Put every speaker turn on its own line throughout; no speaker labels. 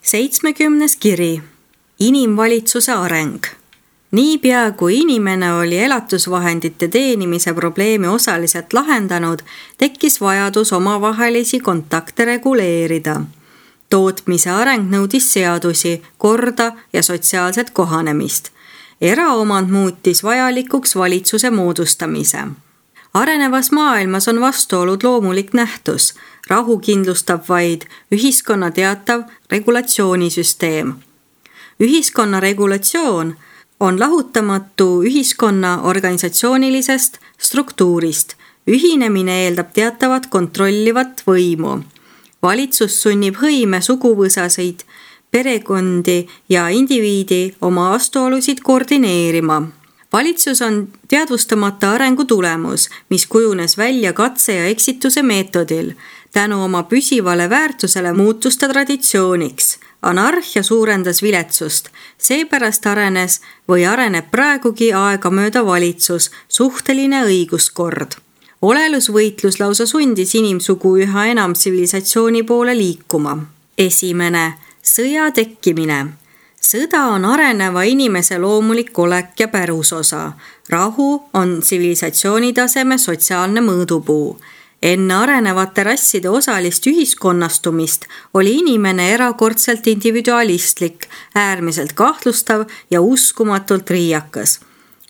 70. kiri. Inimvalitsuse areng. Niipea kui inimene oli elatusvahendite teenimise probleemi osaliselt lahendanud, tekkis vajadus omavahelisi kontakte reguleerida. Tootmise areng nõudis seadusi, korda ja sotsiaalset kohanemist. Eraomand muutis vajalikuks valitsuse moodustamise. Arenevas maailmas on vastuolud loomulik nähtus. Rahu kindlustab vaid ühiskonna teatav regulatsioonisüsteem. Ühiskonna regulatsioon on lahutamatu ühiskonna organisatsioonilisest struktuurist. Ühinemine eeldab teatavat kontrollivat võimu. Valitsus sunnib hõime suguvõsaseid, perekondi ja indiviidi oma vastuolusid koordineerima. Valitsus on teadvustamata arengu tulemus, mis kujunes välja katse ja eksituse meetodil. Tänu oma püsivale väärtusele muutus ta traditsiooniks. Anarhia suurendas viletsust. Seepärast arenes või areneb praegugi aegamööda valitsus, suhteline õiguskord. Olelusvõitlus lausa sundis inimsugu üha enam tsivilisatsiooni poole liikuma. 1. Sõja tekkimine. Sõda on areneva inimese loomulik olek ja pärusosa. Rahu on tsivilisatsiooni taseme sotsiaalne mõõdupuu. Enne arenevate rasside osalist ühiskonnastumist oli inimene erakordselt individualistlik, äärmiselt kahtlustav ja uskumatult riiakas.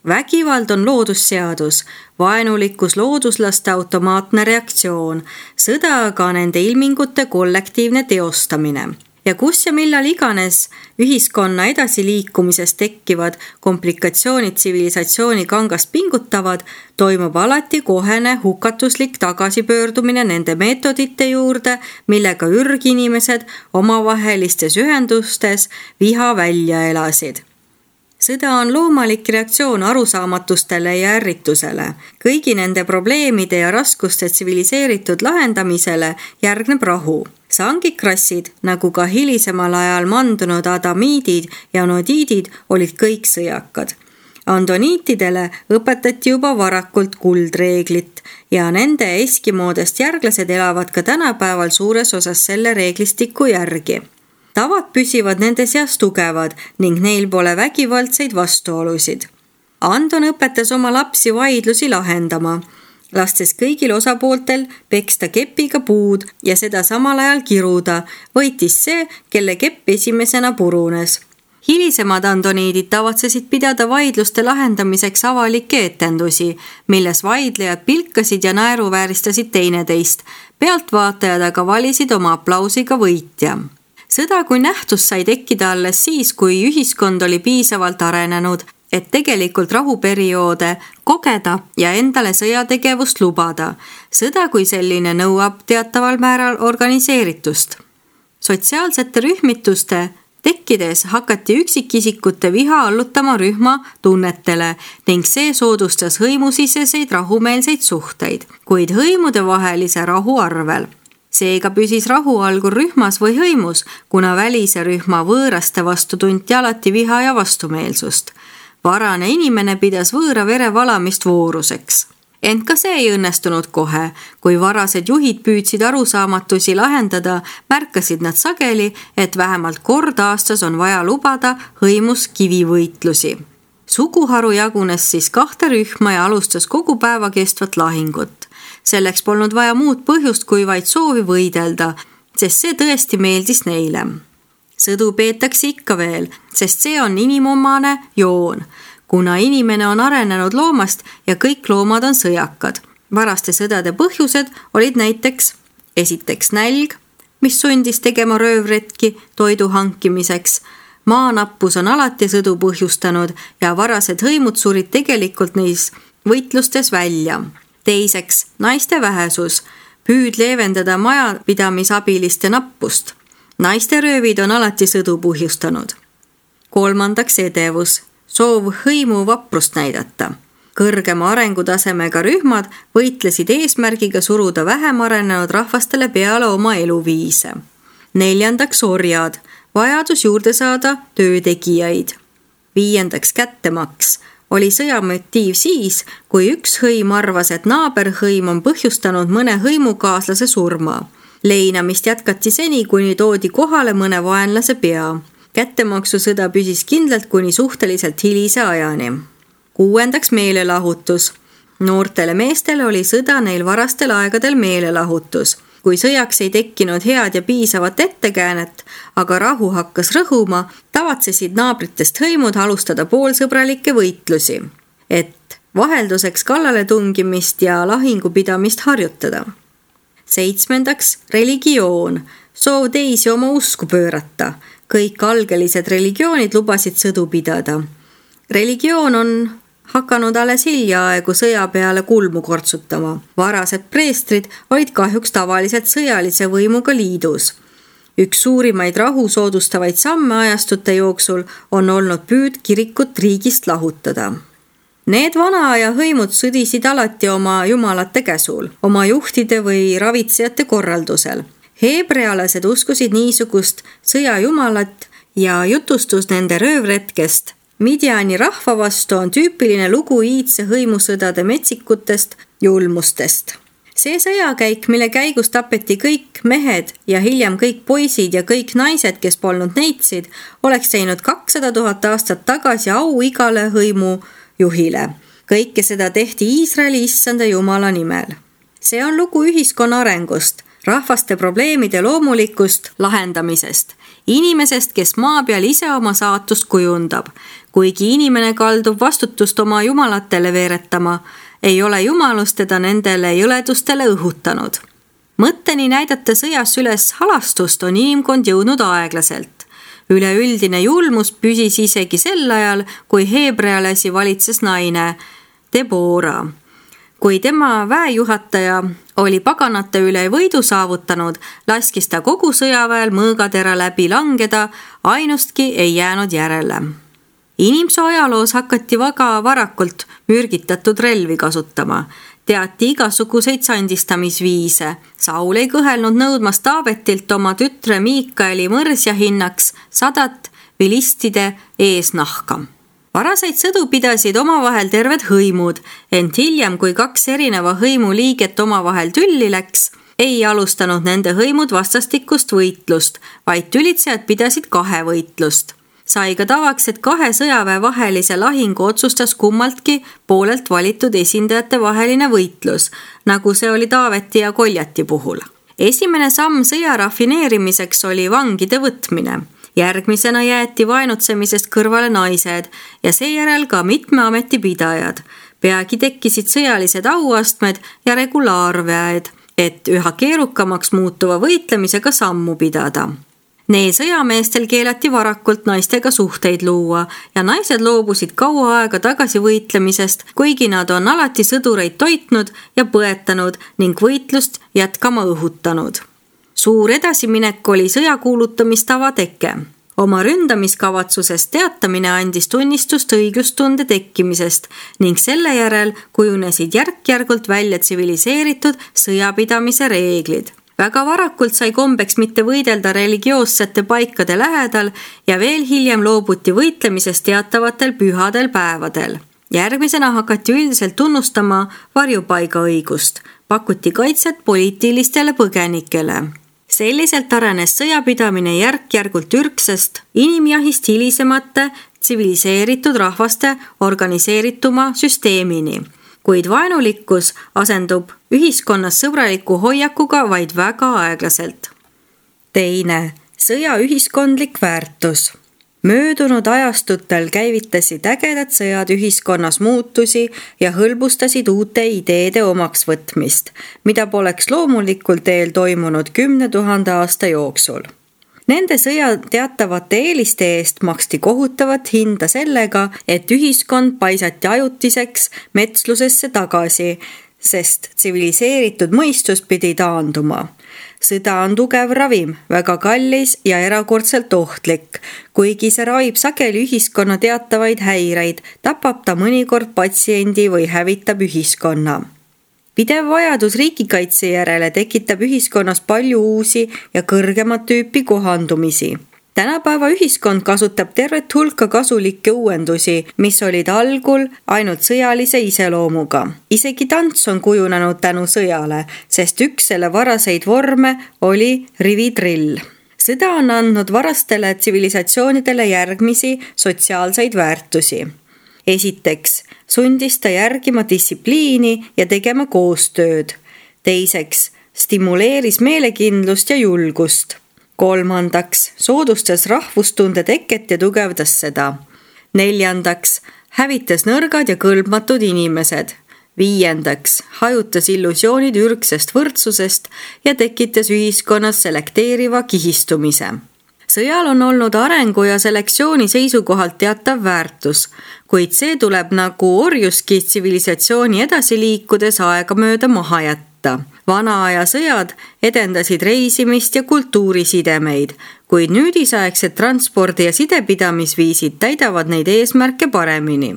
Vägivald on loodusseadus, vaenulikkus looduslaste automaatne reaktsioon, sõda aga nende ilmingute kollektiivne teostamine. Ja kus ja millal iganes ühiskonna edasiliikumises tekkivad komplikatsioonid tsivilisatsiooni kangast pingutavad, toimub alati kohene hukatuslik tagasipöördumine nende meetodite juurde, millega ürginimesed omavahelistes ühendustes viha välja elasid. Sõda on loomalik reaktsioon arusaamatustele ja ärritusele. Kõigi nende probleemide ja raskuste tsiviliseeritud lahendamisele järgneb rahu. Sangikrassid, nagu ka hilisemal ajal mandunud adamiidid ja nodiidid, olid kõik sõjakad. Andoniitidele õpetati juba varakult kuldreeglit ja nende eskimoodest järglased elavad ka tänapäeval suures osas selle reeglistiku järgi. Tavad püsivad nende seas tugevad ning neil pole vägivaldseid vastuolusid. Andon õpetas oma lapsi vaidlusi lahendama, lastes kõigil osapooltel peksta kepiga puud ja seda samal ajal kiruda, võitis see, kelle kepp esimesena purunes. Hilisemad andoniidid tavatsesid pidada vaidluste lahendamiseks avalikke etendusi, milles vaidlejad pilkasid ja naeruvääristasid teineteist. Pealtvaatajad aga valisid oma aplausiga võitja. Sõda kui nähtus sai tekkida alles siis, kui ühiskond oli piisavalt arenenud, et tegelikult rahuperioode kogeda ja endale sõjategevust lubada. Sõda kui selline nõuab teataval määral organiseeritust. Sotsiaalsete rühmituste tekkides hakati üksikisikute viha allutama rühma tunnetele ning see soodustas hõimusiseseid rahumeelseid suhteid, kuid hõimude vahelise rahu arvel. Seega püsis rahu algur rühmas või hõimus, kuna välise rühma võõraste vastu tunti alati viha ja vastumeelsust. Varane inimene pidas võõra vere valamist vooruseks. Ent ka see ei õnnestunud kohe. Kui varased juhid püüdsid arusaamatusi lahendada, märkasid nad sageli, et vähemalt kord aastas on vaja lubada hõimus kivivõitlusi. Suguharu jagunes siis 2 rühma ja alustas kogu päeva kestvat lahingut. Selleks polnud vaja muud põhjust kui vaid soovi võidelda, sest see tõesti meeldis neile. Sõdu peetakse ikka veel, sest see on inimomane joon, kuna inimene on arenenud loomast ja kõik loomad on sõjakad. Varaste sõdade põhjused olid näiteks esiteks nälg, mis sundis tegema röövretki toidu hankimiseks. Maanappus on alati sõdu põhjustanud ja varased hõimud surid tegelikult neis võitlustes välja. Teiseks, naiste vähesus, püüd leevendada majapidamisabiliste nappust. Naiste röövid on alati sõdu põhjustanud. 3. edevus, soov hõimu vaprust näidata. Kõrgema arengutasemega rühmad võitlesid eesmärgiga suruda vähem arenenud rahvastele peale oma eluviise. 4. orjad, vajadus juurde saada töötegijaid. 5. kättemaks, oli sõjamotiiv siis, kui üks hõim arvas, et naaberhõim on põhjustanud mõne hõimukaaslase surma. Leinamist jätkati seni, kuni toodi kohale mõne vaenlase pea. Kättemaksusõda püsis kindlalt kuni suhteliselt hilise ajani. 6. meelelahutus. Noortele meestele oli sõda neil varastel aegadel meelelahutus. Kui sõjaks ei tekkinud head ja piisavat ettekäänet, aga rahu hakkas rõhuma, tavatsesid naabritest hõimud alustada poolsõbralikke võitlusi, et vahelduseks kallale tungimist ja lahingupidamist harjutada. 7. religioon. Soov teisi oma usku pöörata. Kõik algelised religioonid lubasid sõdu pidada. Religioon on hakanud alles hiljaaegu sõja peale kulmu kortsutama. Varased preestrid olid kahjuks tavaliselt sõjalise võimuga liidus. Üks suurimaid rahu soodustavaid samme ajastute jooksul on olnud püüd kirikut riigist lahutada. Need vana aja hõimud sõdisid alati oma jumalate käsul, oma juhtide või ravitsejate korraldusel. Heebrealased uskusid niisugust sõjajumalat ja jutustus nende röövretkest Midiani rahva vastu on tüüpiline lugu iidse hõimusõdade metsikutest julmustest. See sõjakäik, mille käigus tapeti kõik mehed ja hiljem kõik poisid ja kõik naised, kes polnud neitsid, oleks teinud 200 000 aastat tagasi au igale hõimujuhile. Kõike seda tehti Iisraeli issanda Jumala nimel. See on lugu ühiskonna arengust, rahvaste probleemide loomulikust lahendamisest, inimesest, kes maa peal ise oma saatust kujundab. Kuigi inimene kaldub vastutust oma jumalatele veeretama, ei ole jumalus teda nendele jõledustele õhutanud. Mõtteni näidata sõjas üles halastust on inimkond jõudnud aeglaselt. Üleüldine julmus püsis isegi sel ajal, kui heebrealasi valitses naine Debora. Kui tema väejuhataja oli paganate üle võidu saavutanud, laskis ta kogu sõjaväel mõõgatera läbi langeda, ainustki ei jäänud järele. Inimsoo ajaloos hakati väga varakult mürgitatud relvi kasutama. Teati igasuguseid sandistamisviise. Saul ei kõhelnud nõudmas Taavetilt oma tütre Miikaeli mõrsja hinnaks 100 vilistide eesnahka. Varaseid sõdu pidasid omavahel terved hõimud, ent hiljem, kui 2 erineva hõimu liiget omavahel tülli läks, ei alustanud nende hõimud vastastikust võitlust, vaid tülitsejad pidasid 2 võitlust. Sai ka tavaks, et 2 sõjaväe vahelise lahingu otsustas kummaltki poolelt valitud esindajate vaheline võitlus, nagu see oli Taaveti ja Koljati puhul. Esimene samm sõja rafineerimiseks oli vangide võtmine. Järgmisena jäeti vaenutsemisest kõrvale naised ja seejärel ka mitme ametipidajad. Peagi tekkisid sõjalised auastmed ja regulaarväed, et üha keerukamaks muutuva võitlemisega sammu pidada. Neil sõjameestel keelati varakult naistega suhteid luua ja naised loobusid kaua aega tagasi võitlemisest, kuigi nad on alati sõdureid toitnud ja põetanud ning võitlust jätkama õhutanud. Suur edasiminek oli sõja kuulutamistava teke. Oma ründamiskavatsusest teatamine andis tunnistust õiglustunde tekkimisest ning selle järel kujunesid järk-järgult välja tsiviliseeritud sõjapidamise reeglid. Väga varakult sai kombeks mitte võidelda religioossete paikade lähedal ja veel hiljem loobuti võitlemisest teatavatel pühadel päevadel. Järgmisena hakati üldiselt tunnustama varjupaigaõigust, pakuti kaitset poliitilistele põgenikele. Selliselt arenes sõjapidamine järk-järgult ürgsest inimjahist hilisemate tsiviliseeritud rahvaste organiseerituma süsteemini. Kuid vaenulikkus asendub ühiskonnas sõbraliku hoiakuga vaid väga aeglaselt. 2. Sõja ühiskondlik väärtus. Möödunud ajastutel käivitasid ägedad sõjad ühiskonnas muutusi ja hõlbustasid uute ideede omaks võtmist, mida poleks loomulikul teel toimunud 10 000 aasta jooksul. Nende sõja teatavate eeliste eest maksti kohutavat hinda sellega, et ühiskond paisati ajutiseks metslusesse tagasi, sest tsiviliseeritud mõistus pidi taanduma. Sõda on tugev ravim, väga kallis ja erakordselt ohtlik. Kuigi see ravib sageli ühiskonna teatavaid häireid, tapab ta mõnikord patsiendi või hävitab ühiskonna. Pidev vajadus riigikaitse järele tekitab ühiskonnas palju uusi ja kõrgemat tüüpi kohandumisi. Tänapäeva ühiskond kasutab tervet hulka kasulikke uuendusi, mis olid algul ainult sõjalise iseloomuga. Isegi tants on kujunenud tänu sõjale, sest üks selle varaseid vorme oli rividrill. Sõda on andnud varastele tsivilisatsioonidele järgmisi sotsiaalseid väärtusi. Esiteks, sundis ta järgima distsipliini ja tegema koostööd. Teiseks, stimuleeris meelekindlust ja julgust. Kolmandaks, soodustas rahvustunde teket ja tugevdas seda. Neljandaks, hävitas nõrgad ja kõlbmatud inimesed. Viiendaks, hajutas illusioonid ürgsest võrdsusest ja tekitas ühiskonnas selekteeriva kihistumise. Sõjal on olnud arengu ja selektsiooni seisukohalt teatav väärtus, kuid see tuleb nagu orjuski tsivilisatsiooni edasi liikudes aegamööda maha jätta. Vana aja sõjad edendasid reisimist ja kultuurisidemeid, kuid nüüdisaegsed transpordi- ja sidepidamisviisid täidavad neid eesmärke paremini.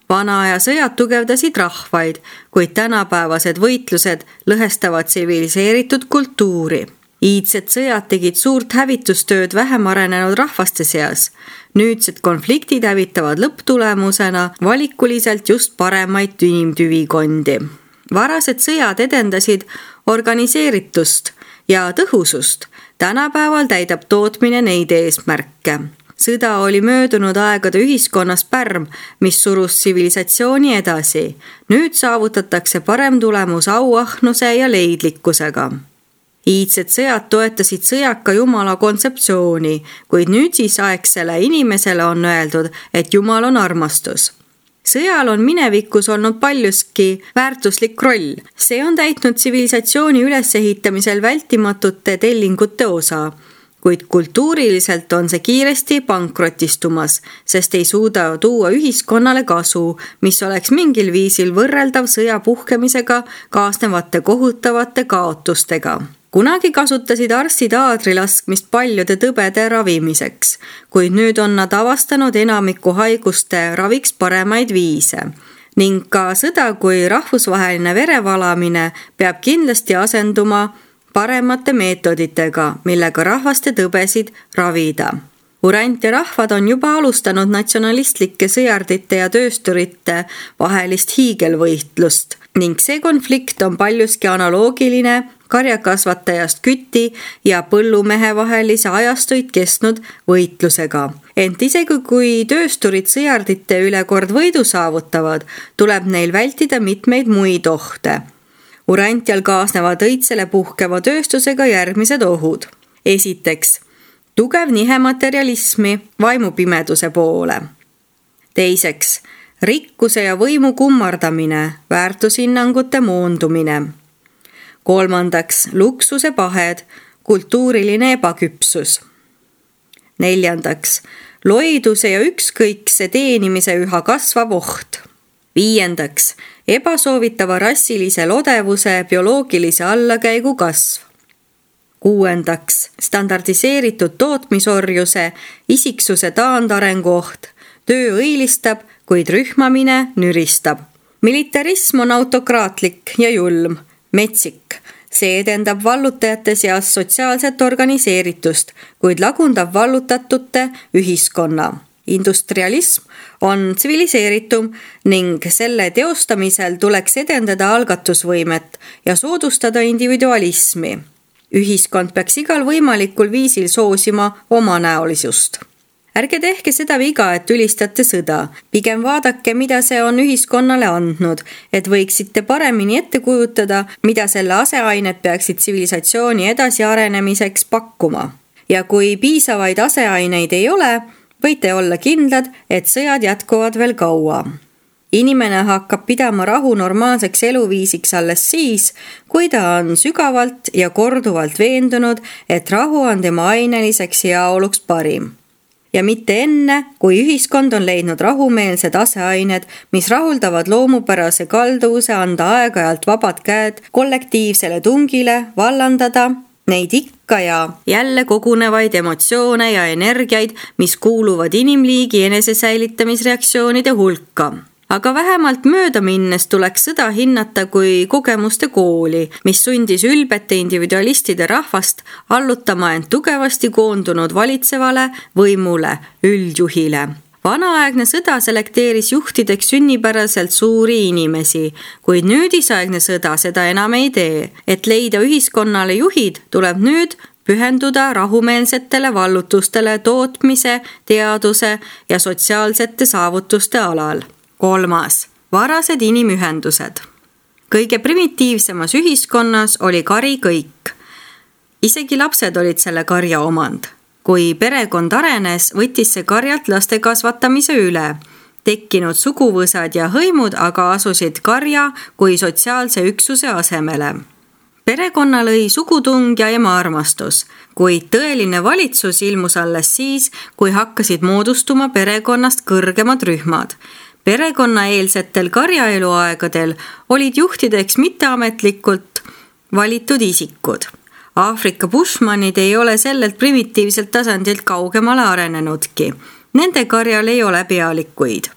Vana aja sõjad tugevdasid rahvaid, kuid tänapäevased võitlused lõhestavad tsiviliseeritud kultuuri. Iidsed sõjad tegid suurt hävitustööd vähem arenenud rahvaste seas. Nüüdsed konfliktid hävitavad lõpptulemusena valikuliselt just paremaid inimtüvikondi. Varased sõjad edendasid organiseeritust ja tõhusust. Tänapäeval täidab tootmine neid eesmärke. Sõda oli möödunud aegade ühiskonnas pärm, mis surus tsivilisatsiooni edasi. Nüüd saavutatakse parem tulemus auahnuse ja leidlikkusega. Iidsed sõjad toetasid sõjaka jumala kontseptsiooni, kuid nüüdisaegsele inimesele on öeldud, et jumal on armastus. Sõjal on minevikus olnud paljuski väärtuslik roll. See on täitnud tsivilisatsiooni ülesehitamisel vältimatute tellingute osa, kuid kultuuriliselt on see kiiresti pankrotistumas, sest ei suuda tuua ühiskonnale kasu, mis oleks mingil viisil võrreldav sõja puhkemisega kaasnevate kohutavate kaotustega. Kunagi kasutasid arstid aadrilaskmist paljude tõbede ravimiseks, kuid nüüd on nad avastanud enamiku haiguste raviks paremaid viise. Ning ka sõda kui rahvusvaheline verevalamine peab kindlasti asenduma paremate meetoditega, millega rahvaste tõbesid ravida. Urant ja rahvad on juba alustanud natsionalistlike sõjardite ja töösturite vahelist hiigelvõitlust ning see konflikt on paljuski analoogiline karjakasvatajast küti ja põllumehe vahelise ajastuid kestnud võitlusega. Ent isegi kui töösturid sõjardite üle kord võidu saavutavad, tuleb neil vältida mitmeid muid ohte. Urantial kaasnevad õitsele puhkeva tööstusega järgmised ohud. Esiteks, tugev nihe materialismi vaimupimeduse poole. Teiseks, rikkuse ja võimu kummardamine, väärtushinnangute moondumine. Kolmandaks, luksuse pahed, kultuuriline ebaküpsus. Neljandaks, loiduse ja ükskõikse teenimise üha kasvav oht. Viiendaks, ebasoovitava rassilise lodevuse bioloogilise allakäigu kasv. Kuuendaks, standardiseeritud tootmisorjuse, isiksuse taandarengu oht, töö õilistab, kuid rühmamine nüristab. Militarism on autokraatlik ja julm, metsik. See edendab vallutajate seas sotsiaalset organiseeritust, kuid lagundab vallutatute ühiskonna. Industrialism on tsiviliseeritum ning selle teostamisel tuleks edendada algatusvõimet ja soodustada individualismi. Ühiskond peaks igal võimalikul viisil soosima omanäolisust. Ärge tehke seda viga, et ülistate sõda. Pigem vaadake, mida see on ühiskonnale andnud, et võiksite paremini ette kujutada, mida selle aseained peaksid tsivilisatsiooni edasiarenemiseks pakkuma. Ja kui piisavaid aseaineid ei ole, võite olla kindlad, et sõjad jätkuvad veel kaua. Inimene hakkab pidama rahu normaalseks eluviisiks alles siis, kui ta on sügavalt ja korduvalt veendunud, et rahu on tema aineliseks heaoluks parim. Ja mitte enne, kui ühiskond on leidnud rahumeelsed aseained, mis rahuldavad loomupärase kalduvuse anda aeg-ajalt vabad käed kollektiivsele tungile, vallandada neid ikka ja jälle kogunevaid emotsioone ja energiaid, mis kuuluvad inimliigi enesesäilitamisreaktsioonide hulka. Aga vähemalt mööda minnes tuleks sõda hinnata kui kogemuste kooli, mis sundis ülbete individualistide rahvast allutama end tugevasti koondunud valitsevale võimule, üldjuhile. Vanaaegne sõda selekteeris juhtideks sünnipäraselt suuri inimesi, kuid nüüdisaegne sõda seda enam ei tee. Et leida ühiskonnale juhid, tuleb nüüd pühenduda rahumeelsetele vallutustele tootmise, teaduse ja sotsiaalsete saavutuste alal. 3. Varased inimühendused. Kõige primitiivsemas ühiskonnas oli kari kõik. Isegi lapsed olid selle karja omand. Kui perekond arenes, võttis see karjalt laste kasvatamise üle. Tekkinud suguvõsad ja hõimud aga asusid karja kui sotsiaalse üksuse asemele. Perekonna lõi sugutung ja emaarmastus, kuid tõeline valitsus ilmus alles siis, kui hakkasid moodustuma perekonnast kõrgemad rühmad. Perekonnaeelsetel karjaeluaegadel olid juhtideks mitteametlikult valitud isikud. Aafrika bushmanid ei ole sellelt primitiivselt tasandilt kaugemale arenenudki. Nende karjal ei ole pealikuid.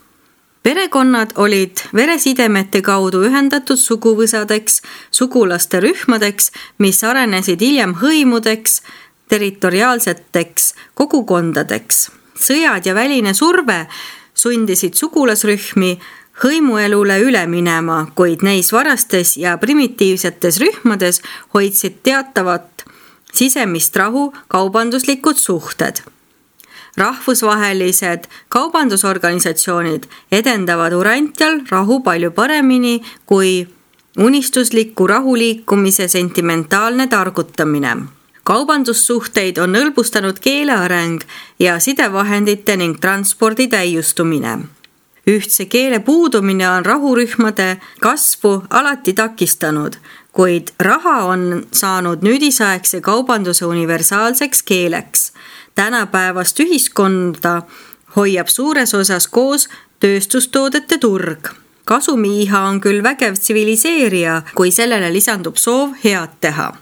Perekonnad olid veresidemete kaudu ühendatud suguvõsadeks, sugulaste rühmadeks, mis arenesid hiljem hõimudeks, territoriaalseteks kogukondadeks. Sõjad ja väline surve sundisid sugulasrühmi hõimuelule üle minema, kuid neis varastes ja primitiivsetes rühmades hoidsid teatavat sisemist rahu kaubanduslikud suhted. Rahvusvahelised kaubandusorganisatsioonid edendavad Urantial rahu palju paremini kui unistusliku rahuliikumise sentimentaalne targutamine. Kaubandussuhteid on hõlbustanud keeleareng ja sidevahendite ning transpordi täiustumine. Ühtse keele puudumine on rahurühmade kasvu alati takistanud, kuid raha on saanud nüüdisaegse kaubanduse universaalseks keeleks. Tänapäevast ühiskonda hoiab suures osas koos tööstustoodete turg. Kasumiiha on küll vägev tsiviliseerija, kui sellele lisandub soov head teha.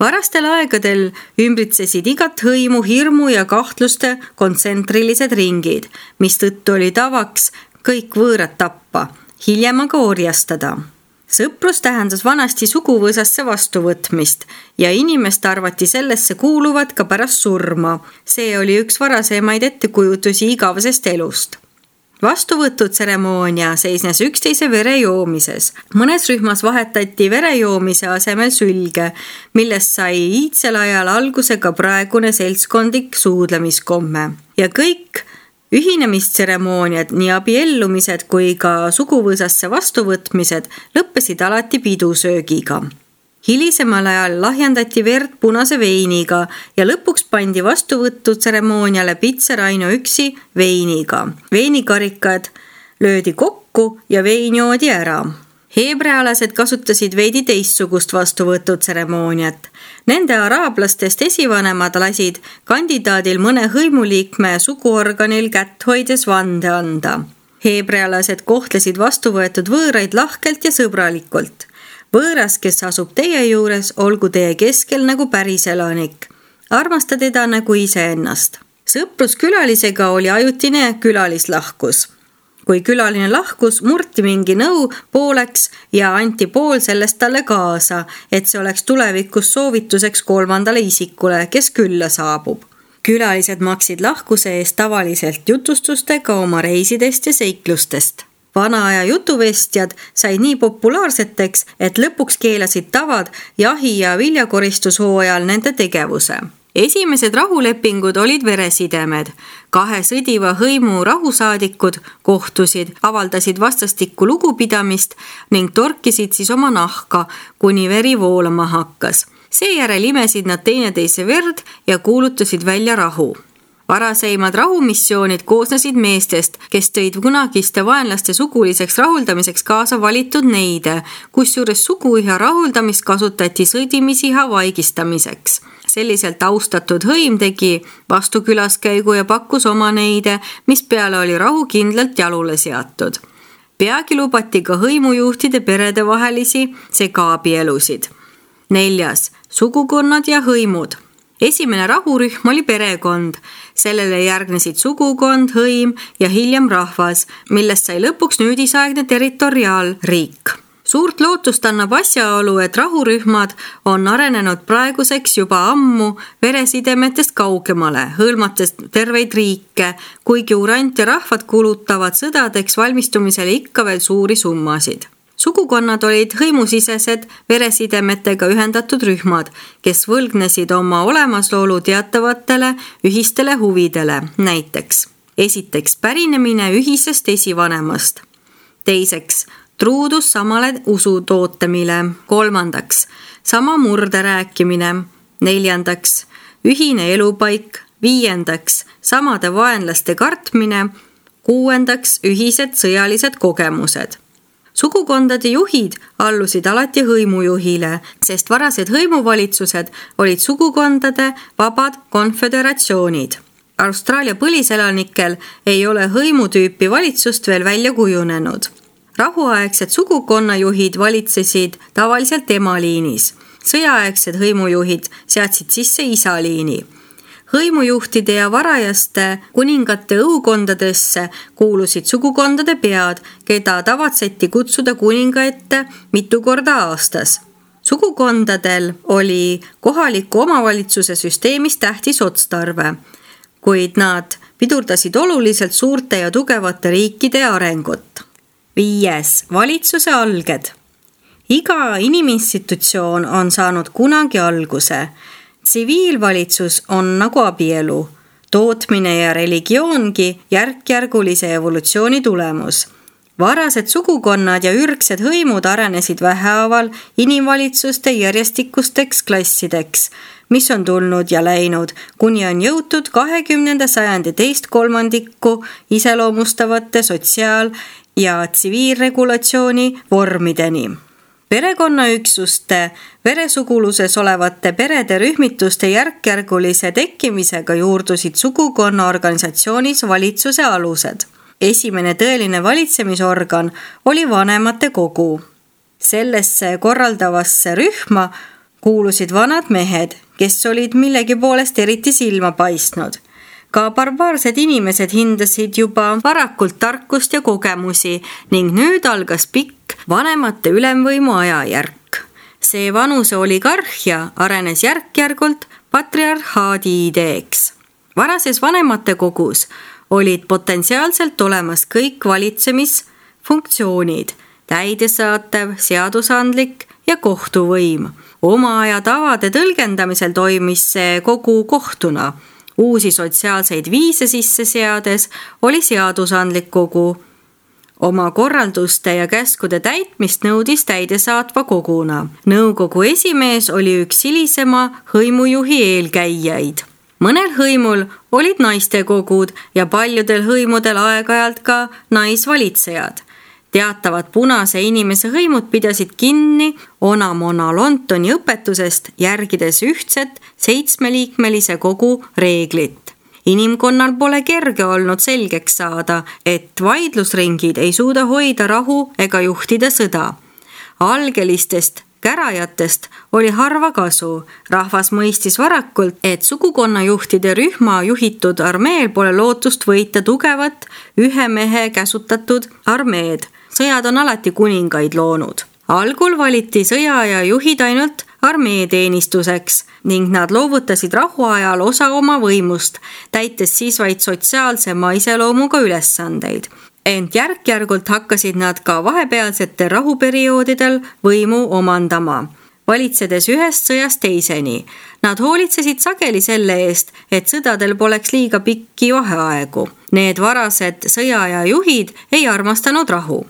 Varastel aegadel ümbritsesid igat hõimu hirmu ja kahtluste kontsentrilised ringid, mis tõttu oli tavaks kõik võõrad tappa, hiljem aga orjastada. Sõprus tähendas vanasti suguvõsasse vastuvõtmist ja inimest arvati sellesse kuuluvat ka pärast surma. See oli üks varasemaid ettekujutusi igavesest elust. Vastuvõtutseremoonia seisnes üksteise vere joomises. Mõnes rühmas vahetati vere joomise asemel sülge, millest sai iidsel ajal alguse ka praegune seltskondlik suudlemiskomme. Ja kõik ühinemistseremooniad, nii abiellumised kui ka suguvõsasse vastuvõtmised lõppesid alati pidusöögiga. Hilisemal ajal lahjendati verd punase veiniga ja lõpuks pandi vastuvõtutseremooniale pitser ainuüksi veiniga. Veinikarikad löödi kokku ja vein joodi ära. Heebrealased kasutasid veidi teistsugust vastuvõtutseremooniat. Nende araablastest esivanemad lasid kandidaadil mõne hõimuliikme suguorganil kätt hoides vande anda. Heebrealased kohtlesid vastuvõetud võõraid lahkelt ja sõbralikult. Võõras, kes asub teie juures, olgu teie keskel nagu päris elanik. Armasta teda nagu iseennast. Sõprus külalisega oli ajutine külalislahkus. Kui külaline lahkus, murti mingi nõu pooleks ja anti pool sellest talle kaasa, et see oleks tulevikus soovituseks kolmandale isikule, kes külla saabub. Külalised maksid lahkuse eest tavaliselt jutustustega oma reisidest ja seiklustest. Vanaaja jutuvestjad said nii populaarseteks, et lõpuks keelasid tavad jahi- ja viljakoristushooajal nende tegevuse. Esimesed rahulepingud olid veresidemed. 2 sõdiva hõimu rahusaadikud kohtusid, avaldasid vastastikku lugupidamist ning torkisid siis oma nahka, kuni veri voolama hakkas. Seejärel imesid nad teineteise verd ja kuulutasid välja rahu. Varaseimad rahumissioonid koosnesid meestest, kes tõid kunagiste vaenlaste suguliseks rahuldamiseks kaasa valitud neide, kusjuures suguiha rahuldamist kasutati sõdimisiha vaigistamiseks. Selliselt austatud hõim tegi vastukülaskäigu ja pakkus oma neide, mis peale oli rahu kindlalt jalule seatud. Peagi lubati ka hõimujuhtide perede vahelisi segaabielusid. 4. Sugukonnad ja hõimud. Esimene rahurühm oli perekond. Sellele järgnesid sugukond, hõim ja hiljem rahvas, millest sai lõpuks nüüdisaegne territoriaalriik. Suurt lootust annab asjaolu, et rahurühmad on arenenud praeguseks juba ammu veresidemetest kaugemale, hõlmates terveid riike, kuigi urant ja rahvad kulutavad sõdadeks valmistumisele ikka veel suuri summasid. Sugukonnad olid hõimusisesed veresidemetega ühendatud rühmad, kes võlgnesid oma olemasolu teatavatele ühistele huvidele, näiteks esiteks pärinemine ühisest esivanemast, teiseks truudus samale usu tootemile, kolmandaks sama murde rääkimine, neljandaks ühine elupaik, viiendaks samade vaenlaste kartmine, kuuendaks ühised sõjalised kogemused. Sugukondade juhid allusid alati hõimujuhile, sest varased hõimuvalitsused olid sugukondade vabad konföderatsioonid. Austraalia põliselanikel ei ole hõimutüüpi valitsust veel välja kujunenud. Rahuaegsed sugukonnajuhid valitsesid tavaliselt emaliinis. Sõjaaegsed hõimujuhid seadsid sisse isaliini. Hõimujuhtide ja varajaste kuningate õukondadesse kuulusid sugukondade pead, keda tavatseti kutsuda kuninga ette mitu korda aastas. Sugukondadel oli kohaliku omavalitsuse süsteemis tähtis otstarve, kuid nad pidurdasid oluliselt suurte ja tugevate riikide arengut. 5. Valitsuse alged. Iga iniminstitutsioon on saanud kunagi alguse. Tsiviilvalitsus on nagu abielu, tootmine ja religioongi järkjärgulise evolutsiooni tulemus. Varased sugukonnad ja ürgsed hõimud arenesid vähehaaval inimvalitsuste järjestikusteks klassideks, mis on tulnud ja läinud, kuni on jõutud 20. sajandi teist kolmandikku iseloomustavate sotsiaal- ja tsiviilregulatsiooni vormideni. Perekonnaüksuste veresuguluses olevate perede rühmituste järkjärgulise tekkimisega juurdusid sugukonna organisatsioonis valitsuse alused. Esimene tõeline valitsemisorgan oli vanemate kogu. Sellesse korraldavasse rühma kuulusid vanad mehed, kes olid millegi poolest eriti silma paistnud. Ka barbaarsed inimesed hindasid juba varakult tarkust ja kogemusi ning nüüd algas pikk vanemate ülemvõimu ajajärk. See vanuse oligarhia arenes järk-järgult patriarhaadi ideeks. Varases vanemate kogus olid potentsiaalselt olemas kõik valitsemisfunktsioonid, täidesaatev, seadusandlik ja kohtuvõim. Oma aja tavade tõlgendamisel toimis see kogu kohtuna. Uusi sotsiaalseid viise sisse seades oli seadusandlik kogu. Oma korralduste ja käskude täitmist nõudis täidesaatva koguna. Nõukogu esimees oli üks hilisema hõimujuhi eelkäijaid. Mõnel hõimul olid naistekogud ja paljudel hõimudel aeg-ajalt ka naisvalitsejad. Teatavad punase inimese hõimud pidasid kinni Onamona Lontoni õpetusest, järgides ühtset 7-liikmelise kogu reeglit. Inimkonnal pole kerge olnud selgeks saada, et vaidlusringid ei suuda hoida rahu ega juhtida sõda. Algelistest kärajatest oli harva kasu. Rahvas mõistis varakult, et sugukonnajuhtide rühma juhitud armeel pole lootust võita tugevat ühe mehe käsutatud armeed. Sõjad on alati kuningaid loonud. Algul valiti sõjaaja juhid ainult armeeteenistuseks ning nad loovutasid rahuajal osa oma võimust, täites siis vaid sotsiaalsema iseloomuga ülesandeid. Ent järk-järgult hakkasid nad ka vahepealsetel rahuperioodidel võimu omandama, valitsedes ühest sõjast teiseni. Nad hoolitsesid sageli selle eest, et sõdadel poleks liiga pikki vaheaegu. Need varased sõjaaja juhid ei armastanud rahu.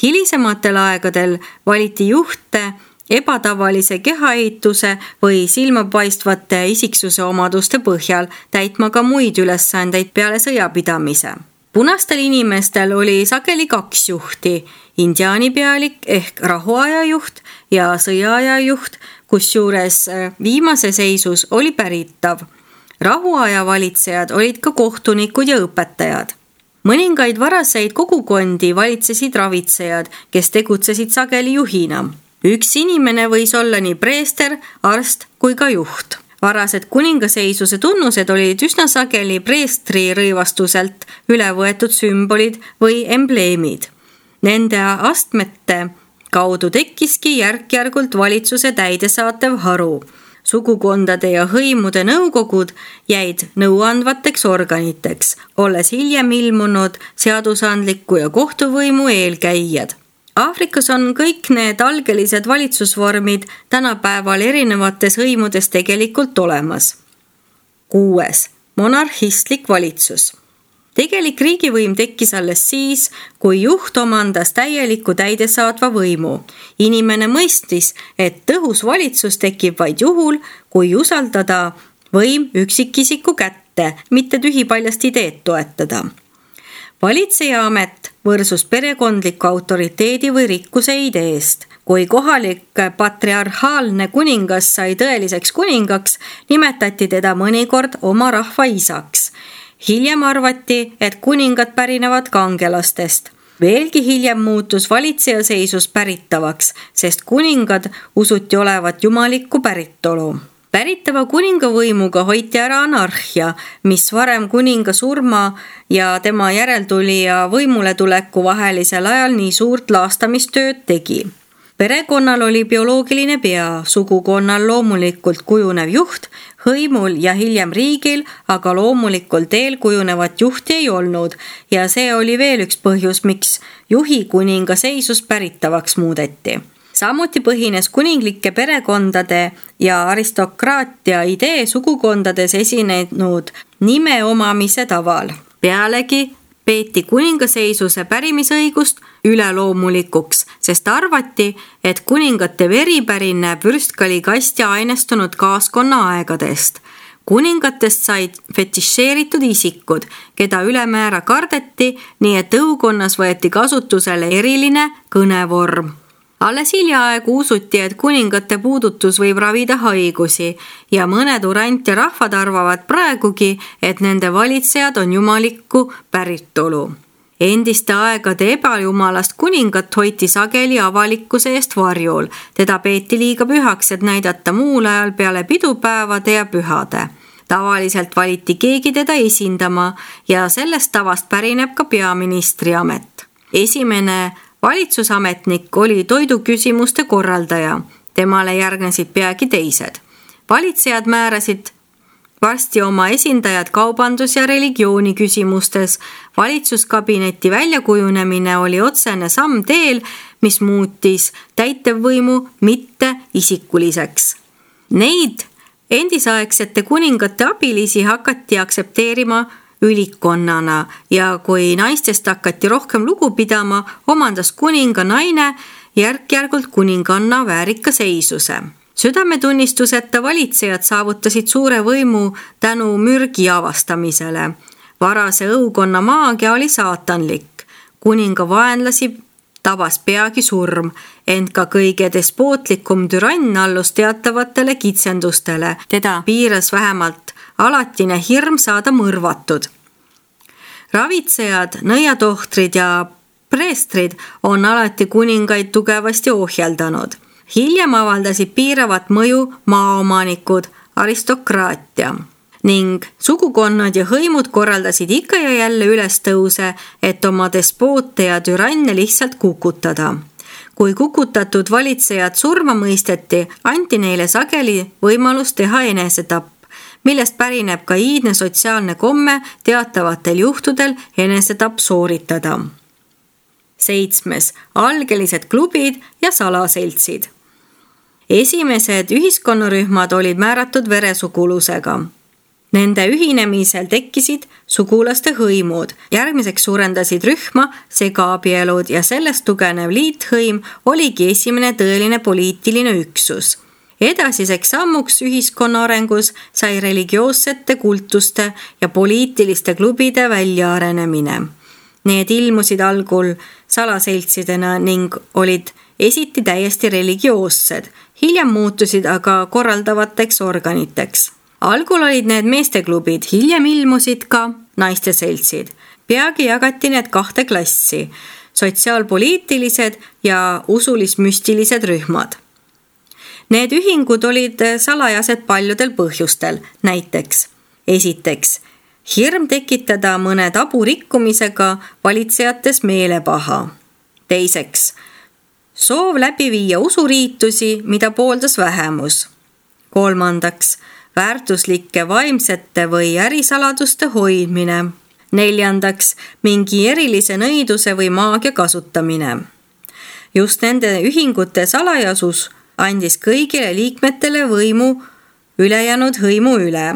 Hilisematel aegadel valiti juhte ebatavalise kehaehituse või silmapaistvate isiksuse omaduste põhjal, täitma ka muid ülesandeid peale sõjapidamise. Punastel inimestel oli sageli 2 juhti, indiaanipealik ehk rahuaja juht ja sõjaaja juht, kusjuures viimase seisus oli päritav. Rahuaja valitsejad olid ka kohtunikud ja õpetajad. Mõningaid varaseid kogukondi valitsesid ravitsejad, kes tegutsesid sageli juhina. Üks inimene võis olla nii preester, arst kui ka juht. Varased kuningaseisuse tunnused olid üsna sageli preestri rõivastuselt üle võetud sümbolid või embleemid. Nende astmete kaudu tekkiski järk-järgult valitsuse täidesaatev haru. Sugukondade ja hõimude nõukogud jäid nõuandvateks organiteks, olles hiljem ilmunud seadusandliku ja kohtuvõimu eelkäijad. Aafrikas on kõik need algelised valitsusvormid tänapäeval erinevates hõimudes tegelikult olemas. 6. Monarhistlik valitsus. Tegelik riigivõim tekkis alles siis, kui juht omandas täieliku täidesaatva võimu. Inimene mõistis, et tõhus valitsus tekib vaid juhul, kui usaldada võim üksikisiku kätte, mitte tühipaljast ideed toetada. Valitseja amet võrsus perekondliku autoriteedi või rikkuse ideest. Kui kohalik patriarhaalne kuningas sai tõeliseks kuningaks, nimetati teda mõnikord oma rahva isaks. Hiljem arvati, et kuningad pärinevad kangelastest. Veelgi hiljem muutus valitseja seisus päritavaks, sest kuningad usuti olevat jumalikku päritolu. Päritava kuningavõimuga hoiti ära anarhia, mis varem kuninga surma ja tema järeltulija võimuletuleku vahelisel ajal nii suurt laastamistööd tegi. Perekonnal oli bioloogiline pea, sugukonnal loomulikult kujunev juht, hõimul ja hiljem riigil, aga loomulikul teel kujunevat juhti ei olnud ja see oli veel üks põhjus, miks juhi kuninga seisus päritavaks muudeti. Samuti põhines kuninglike perekondade ja aristokraatia idee sugukondades esinenud nime omamise taval. Pealegi peeti kuningaseisuse pärimisõigust üleloomulikuks, sest arvati, et kuningate veri pärineb vürstkalikast ja ainestunud kaaskonna aegadest. Kuningatest said fetišeeritud isikud, keda ülemäära kardeti, nii et õukonnas võeti kasutusele eriline kõnevorm. Alles hiljaaegu usuti, et kuningate puudutus võib ravida haigusi ja mõned urant ja rahvad arvavad praegugi, et nende valitsejad on jumalikku päritolu. Endiste aegade ebajumalast kuningat hoiti sageli avalikkuse eest varjul. Teda peeti liiga pühaks, et näidata muul ajal peale pidupäevade ja pühade. Tavaliselt valiti keegi teda esindama ja sellest tavast pärineb ka peaministri amet. Esimene valitsusametnik oli toiduküsimuste korraldaja. Temale järgnesid peagi teised. Valitsejad määrasid varsti oma esindajad kaubandus- ja religiooni küsimustes. Valitsuskabineti väljakujunemine oli otsene samm teel, mis muutis täitevvõimu mitte isikuliseks. Neid endisaegsete kuningate abilisi hakati aksepteerima ülikonnana ja kui naistest hakati rohkem lugu pidama, omandas kuninga naine järk-järgult kuninganna väärika seisuse. Südametunnistuseta valitsejad saavutasid suure võimu tänu mürgi avastamisele. Varase õukonna maagia oli saatanlik. Kuninga vaenlasi tabas peagi surm, ent ka kõige despootlikum türann allus teatavatele kitsendustele. Teda piiras vähemalt alatine hirm saada mõrvatud. Ravitsejad, nõiatohtrid ja preestrid on alati kuningaid tugevasti ohjeldanud. Hiljem avaldasid piiravat mõju maaomanikud, aristokraatia ning sugukonnad ja hõimud korraldasid ikka ja jälle ülestõuse, et oma despoote ja türanne lihtsalt kukutada. Kui kukutatud valitsejad surma mõisteti, anti neile sageli võimalus teha enesetapp, millest pärineb ka iidne sotsiaalne komme teatavatel juhtudel enesetapp sooritada. 7. Algelised klubid ja salaseltsid. Esimesed ühiskonnarühmad olid määratud veresugulusega. Nende ühinemisel tekkisid sugulaste hõimud. Järgmiseks suurendasid rühma segaabielud ja sellest tugenev liithõim oligi esimene tõeline poliitiline üksus. Edasiseks sammuks ühiskonna arengus sai religioossete kultuste ja poliitiliste klubide väljaarenemine. Need ilmusid algul salaseltsidena ning olid esiti täiesti religioossed, hiljem muutusid aga korraldavateks organiteks. Algul olid need meesteklubid, hiljem ilmusid ka naisteseltsid. Peagi jagati need 2 klassi, sotsiaalpoliitilised ja usulis-müstilised rühmad. Need ühingud olid salajased paljudel põhjustel, näiteks esiteks, hirm tekitada mõne tabu rikkumisega valitsejates meelepaha. Teiseks, soov läbi viia usuriitusi, mida pooldas vähemus. Kolmandaks, väärtuslike vaimsete või ärisaladuste hoidmine. Neljandaks, mingi erilise nõiduse või maagia kasutamine. Just nende ühingute salajasus andis kõigile liikmetele võimu ülejäänud hõimu üle.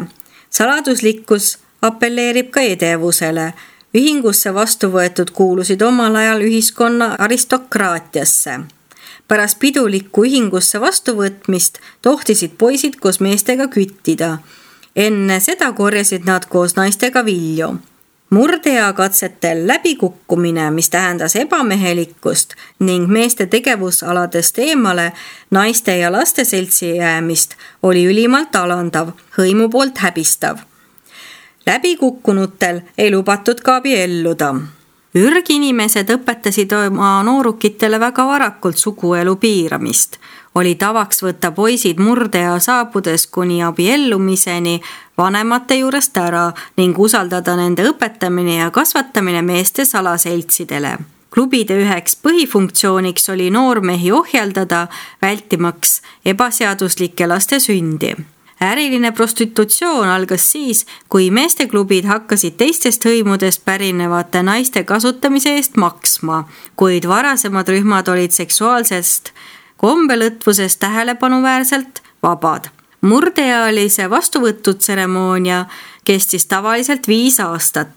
Saladuslikkus apelleerib ka edevusele. Ühingusse vastu võetud kuulusid omal ajal ühiskonna aristokraatiasse. Pärast pidulikku ühingusse vastuvõtmist tohtisid poisid koos meestega küttida. Enne seda korjasid nad koos naistega vilju. Murdea katsetel läbikukkumine, mis tähendas ebamehelikkust ning meeste tegevusaladest eemale naiste ja laste seltsi jäämist, oli ülimalt alandav, hõimu poolt häbistav. Läbikukkunutel ei lubatud ka abielluda. Ürginimesed õpetasid oma noorukitele väga varakult suguelu piiramist. Oli tavaks võtta poisid murdea saabudes kuni abiellumiseni vanemate juurest ära ning usaldada nende õpetamine ja kasvatamine meeste salaseltsidele. Klubide üheks põhifunktsiooniks oli noormehi ohjeldada, vältimaks ebaseaduslike laste sündi. Äriline prostitutsioon algas siis, kui meesteklubid hakkasid teistest hõimudest pärinevate naiste kasutamise eest maksma, kuid varasemad rühmad olid seksuaalsest kombelõtvusest tähelepanuväärselt vabad. Murdeealise vastuvõtutseremoonia kestis tavaliselt 5 aastat.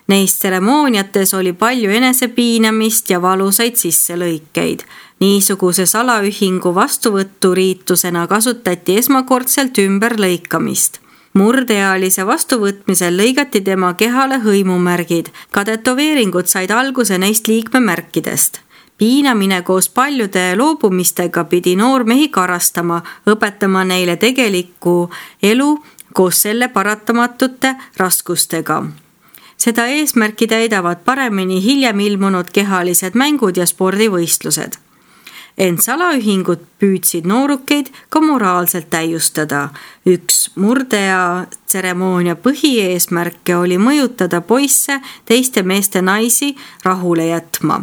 Neis tseremooniates oli palju enesepiinamist ja valusaid sisselõikeid. Niisuguse salaühingu vastuvõturiitusena kasutati esmakordselt ümberlõikamist. Murdeealise vastuvõtmisel lõigati tema kehale hõimumärgid. Ka tätoveeringud said alguse neist liikmemärkidest. Piinamine koos paljude loobumistega pidi noormehi karastama, õpetama neile tegelikku elu koos selle paratamatute raskustega. Seda eesmärki täidavad paremini hiljem ilmunud kehalised mängud ja spordivõistlused. Ent salaühingud püüdsid noorukeid ka moraalselt täiustada. Üks murdea tseremoonia põhieesmärke oli mõjutada poisse teiste meeste naisi rahule jätma.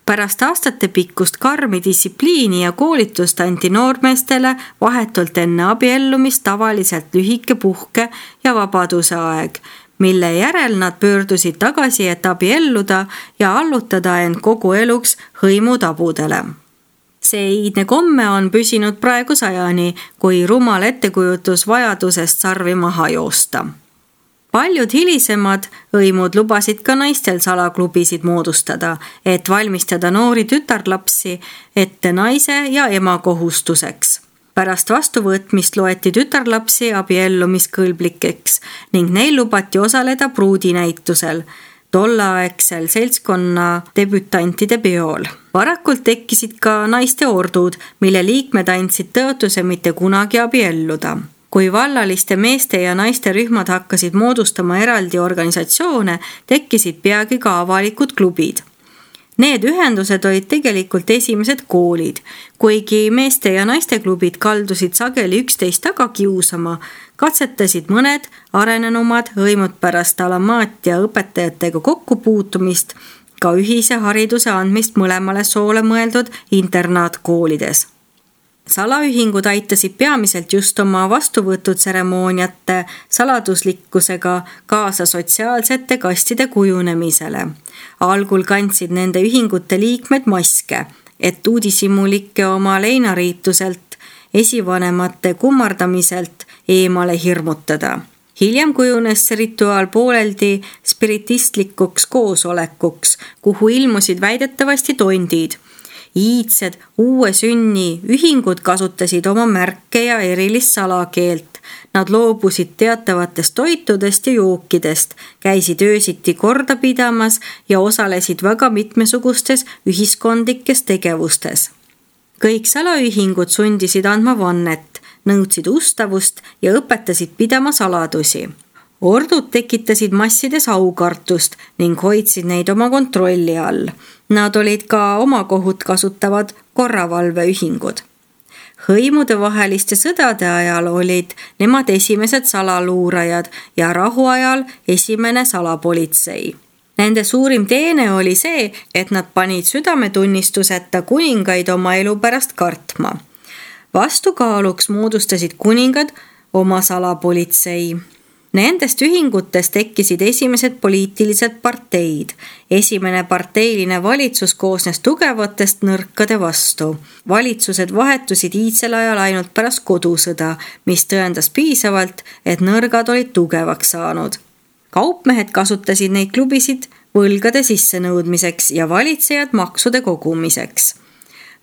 Pärast aastate pikkust karmi distsipliini ja koolitust anti noormeestele vahetult enne abiellumist tavaliselt lühike puhke ja vabaduse aeg, mille järel nad pöördusid tagasi, et abielluda ja allutada end kogu eluks hõimutabudele. See iidne komme on püsinud praegu sajani, kui rumal ettekujutus vajadusest sarvi maha joosta. Paljud hilisemad hõimud lubasid ka naistel salaklubisid moodustada, et valmistada noori tütarlapsi ette naise ja ema kohustuseks. Pärast vastuvõtmist loeti tütarlapsi abiellumiskõlblikeks ning neil lubati osaleda pruudinäitusel, tolleaegsel seltskonna debütantide peol. Varakult tekkisid ka naiste ordud, mille liikmed andsid tõotuse mitte kunagi abielluda. Kui vallaliste meeste ja naiste rühmad hakkasid moodustama eraldi organisatsioone, tekkisid peagi ka avalikud klubid. Need ühendused olid tegelikult esimesed koolid. Kuigi meeste ja naiste klubid kaldusid sageli üksteist taga kiusama, katsetasid mõned arenenumad hõimud pärast alamaatia õpetajatega kokkupuutumist ka ühise hariduse andmist mõlemale soole mõeldud internaatkoolides. Salaühingud aitasid peamiselt just oma vastuvõtutseremooniate saladuslikkusega kaasa sotsiaalsete kastide kujunemisele. Algul kandsid nende ühingute liikmed maske, et uudishimulikke oma leinariituselt, esivanemate kummardamiselt eemale hirmutada. Hiljem kujunes see rituaal pooleldi spiritistlikuks koosolekuks, kuhu ilmusid väidetavasti tondid. Iidsed uue sünni ühingud kasutasid oma märke ja erilist salakeelt. Nad loobusid teatavatest toitudest ja jookidest, käisid öösiti korda pidamas ja osalesid väga mitmesugustes ühiskondlikes tegevustes. Kõik salaühingud sundisid andma vannet, nõudsid ustavust ja õpetasid pidama saladusi. Ordud tekitasid massides aukartust ning hoidsid neid oma kontrolli all. Nad olid ka oma kohut kasutavad korravalveühingud. Hõimudevaheliste sõdade ajal olid nemad esimesed salaluurajad ja rahuajal esimene salapolitsei. Nende suurim teene oli see, et nad panid südametunnistuseta kuningaid oma elu pärast kartma. Vastukaaluks moodustasid kuningad oma salapolitsei. Nendest ühingutest tekkisid esimesed poliitilised parteid. Esimene parteiline valitsus koosnes tugevatest nõrkade vastu. Valitsused vahetusid iidsel ajal ainult pärast kodusõda, mis tõendas piisavalt, et nõrgad olid tugevaks saanud. Kaupmehed kasutasid neid klubisid võlgade sissenõudmiseks ja valitsejad maksude kogumiseks.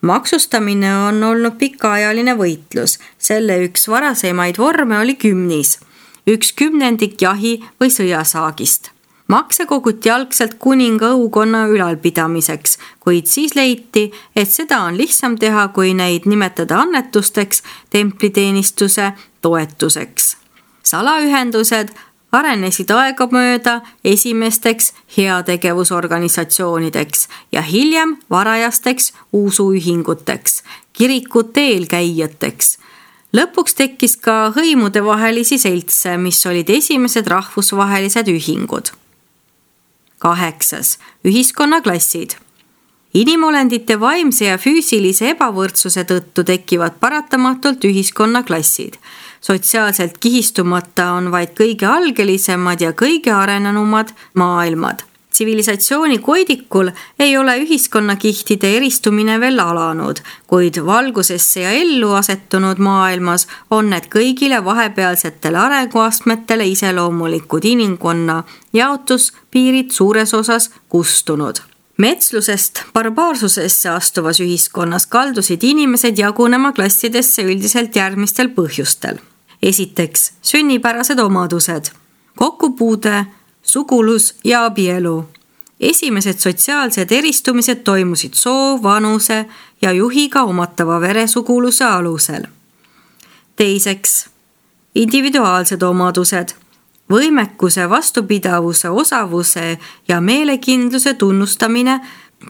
Maksustamine on olnud pikaajaline võitlus. Selle üks varasemaid vorme oli kümnis. 1/10 jahi või sõjasaagist. Makse koguti algselt kuninga õukonna ülalpidamiseks, kuid siis leiti, et seda on lihtsam teha, kui neid nimetada annetusteks, templiteenistuse toetuseks. Salaühendused arenesid aegamööda esimesteks heategevusorganisatsioonideks ja hiljem varajasteks usuühinguteks, kirikute eelkäijateks. Lõpuks tekkis ka hõimudevahelisi seltse, mis olid esimesed rahvusvahelised ühingud. 8. Ühiskonnaklassid. Inimolendite vaimse ja füüsilise ebavõrdsuse tõttu tekivad paratamatult ühiskonnaklassid. Sotsiaalselt kihistumata on vaid kõige algelisemad ja kõige arenenumad maailmad. Tsivilisatsiooni koidikul ei ole ühiskonnakihtide eristumine veel alanud, kuid valgusesse ja ellu asetunud maailmas on need kõigile vahepealsetele arenguastmetele iseloomulikud inimkonna jaotuspiirid suures osas kustunud. Metslusest barbaarsusesse astuvas ühiskonnas kaldusid inimesed jagunema klassidesse üldiselt järgmistel põhjustel. Esiteks, sünnipärased omadused, kokkupuude, sugulus ja abielu. Esimesed sotsiaalsed eristumised toimusid soo, vanuse ja juhiga omatava veresuguluse alusel. Teiseks, individuaalsed omadused, võimekuse, vastupidavuse, osavuse ja meelekindluse tunnustamine.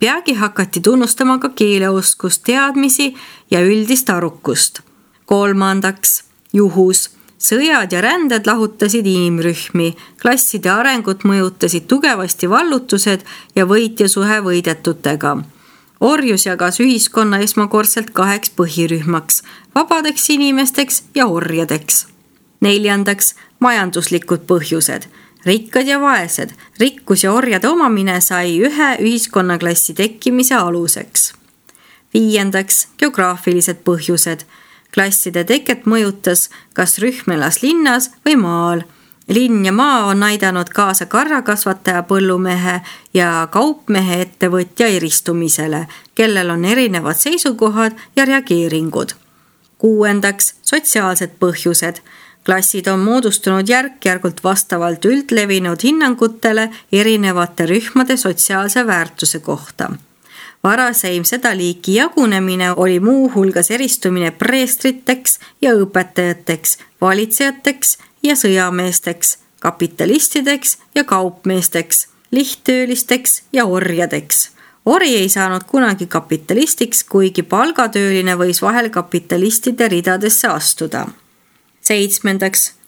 Peagi hakati tunnustama ka keeleoskust, teadmisi ja üldist arukust. Kolmandaks, juhus. Sõjad ja ränded lahutasid inimrühmi, klasside arengut mõjutasid tugevasti vallutused ja võitjasuhe võidetutega. Orjus jagas ühiskonna esmakordselt 2 põhirühmaks, vabadeks inimesteks ja orjadeks. Neljandaks, majanduslikud põhjused, rikkad ja vaesed. Rikkus ja orjade omamine sai ühe ühiskonnaklassi tekkimise aluseks. Viiendaks, geograafilised põhjused. Klasside teket mõjutas, kas rühm elas linnas või maal. Linn ja maa on aidanud kaasa karjakasvataja, põllumehe ja kaupmehe ettevõtja eristumisele, kellel on erinevad seisukohad ja reageeringud. Kuuendaks, sotsiaalsed põhjused. Klassid on moodustunud järk-järgult vastavalt üldlevinud hinnangutele erinevate rühmade sotsiaalse väärtuse kohta. Varaseim seda liiki jagunemine oli muu hulgas eristumine preestriteks ja õpetajateks, valitsejateks ja sõjameesteks, kapitalistideks ja kaupmeesteks, lihttöölisteks ja orjadeks. Ori ei saanud kunagi kapitalistiks, kuigi palgatööline võis vahel kapitalistide ridadesse astuda. 7.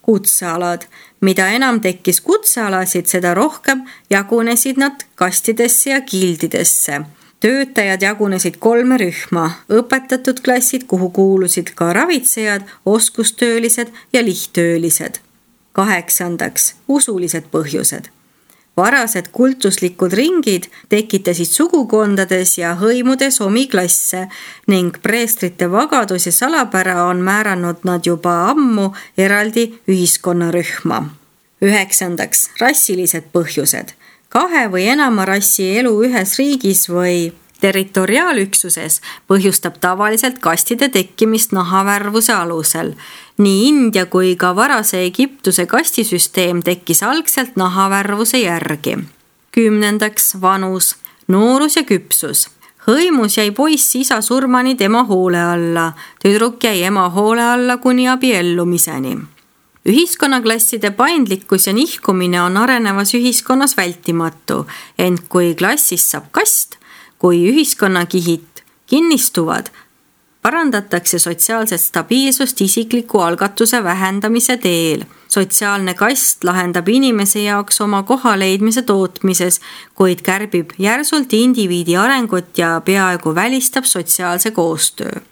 Kutsealad. Mida enam tekkis kutsealasid, seda rohkem jagunesid nad kastidesse ja gildidesse. Töötajad jagunesid 3 rühma, õpetatud klassid, kuhu kuulusid ka ravitsejad, oskustöölised ja lihttöölised. 8. Usulised põhjused. Varased kultuslikud ringid tekitasid sugukondades ja hõimudes omi klasse ning preestrite vagadus ja salapära on määranud nad juba ammu eraldi ühiskonnarühma. 9. Rassilised põhjused. 2 või enama rassi elu ühes riigis või territoriaalüksuses põhjustab tavaliselt kastide tekkimist nahavärvuse alusel. Nii India kui ka varase Egiptuse kastisüsteem tekkis algselt nahavärvuse järgi. 10. Vanus, noorus ja küpsus. Hõimus jäi poiss isa surmani tema hoole alla, tüdruk jäi ema hoole alla kuni abiellumiseni. Ühiskonnaklasside paindlikkus ja nihkumine on arenevas ühiskonnas vältimatu, ent kui klassist saab kast, kui ühiskonnakihid kinnistuvad, parandatakse sotsiaalset stabiilsust isikliku algatuse vähendamise teel. Sotsiaalne kast lahendab inimese jaoks oma koha leidmise tootmises, kuid kärbib järsult indiviidi arengut ja peaaegu välistab sotsiaalse koostöö.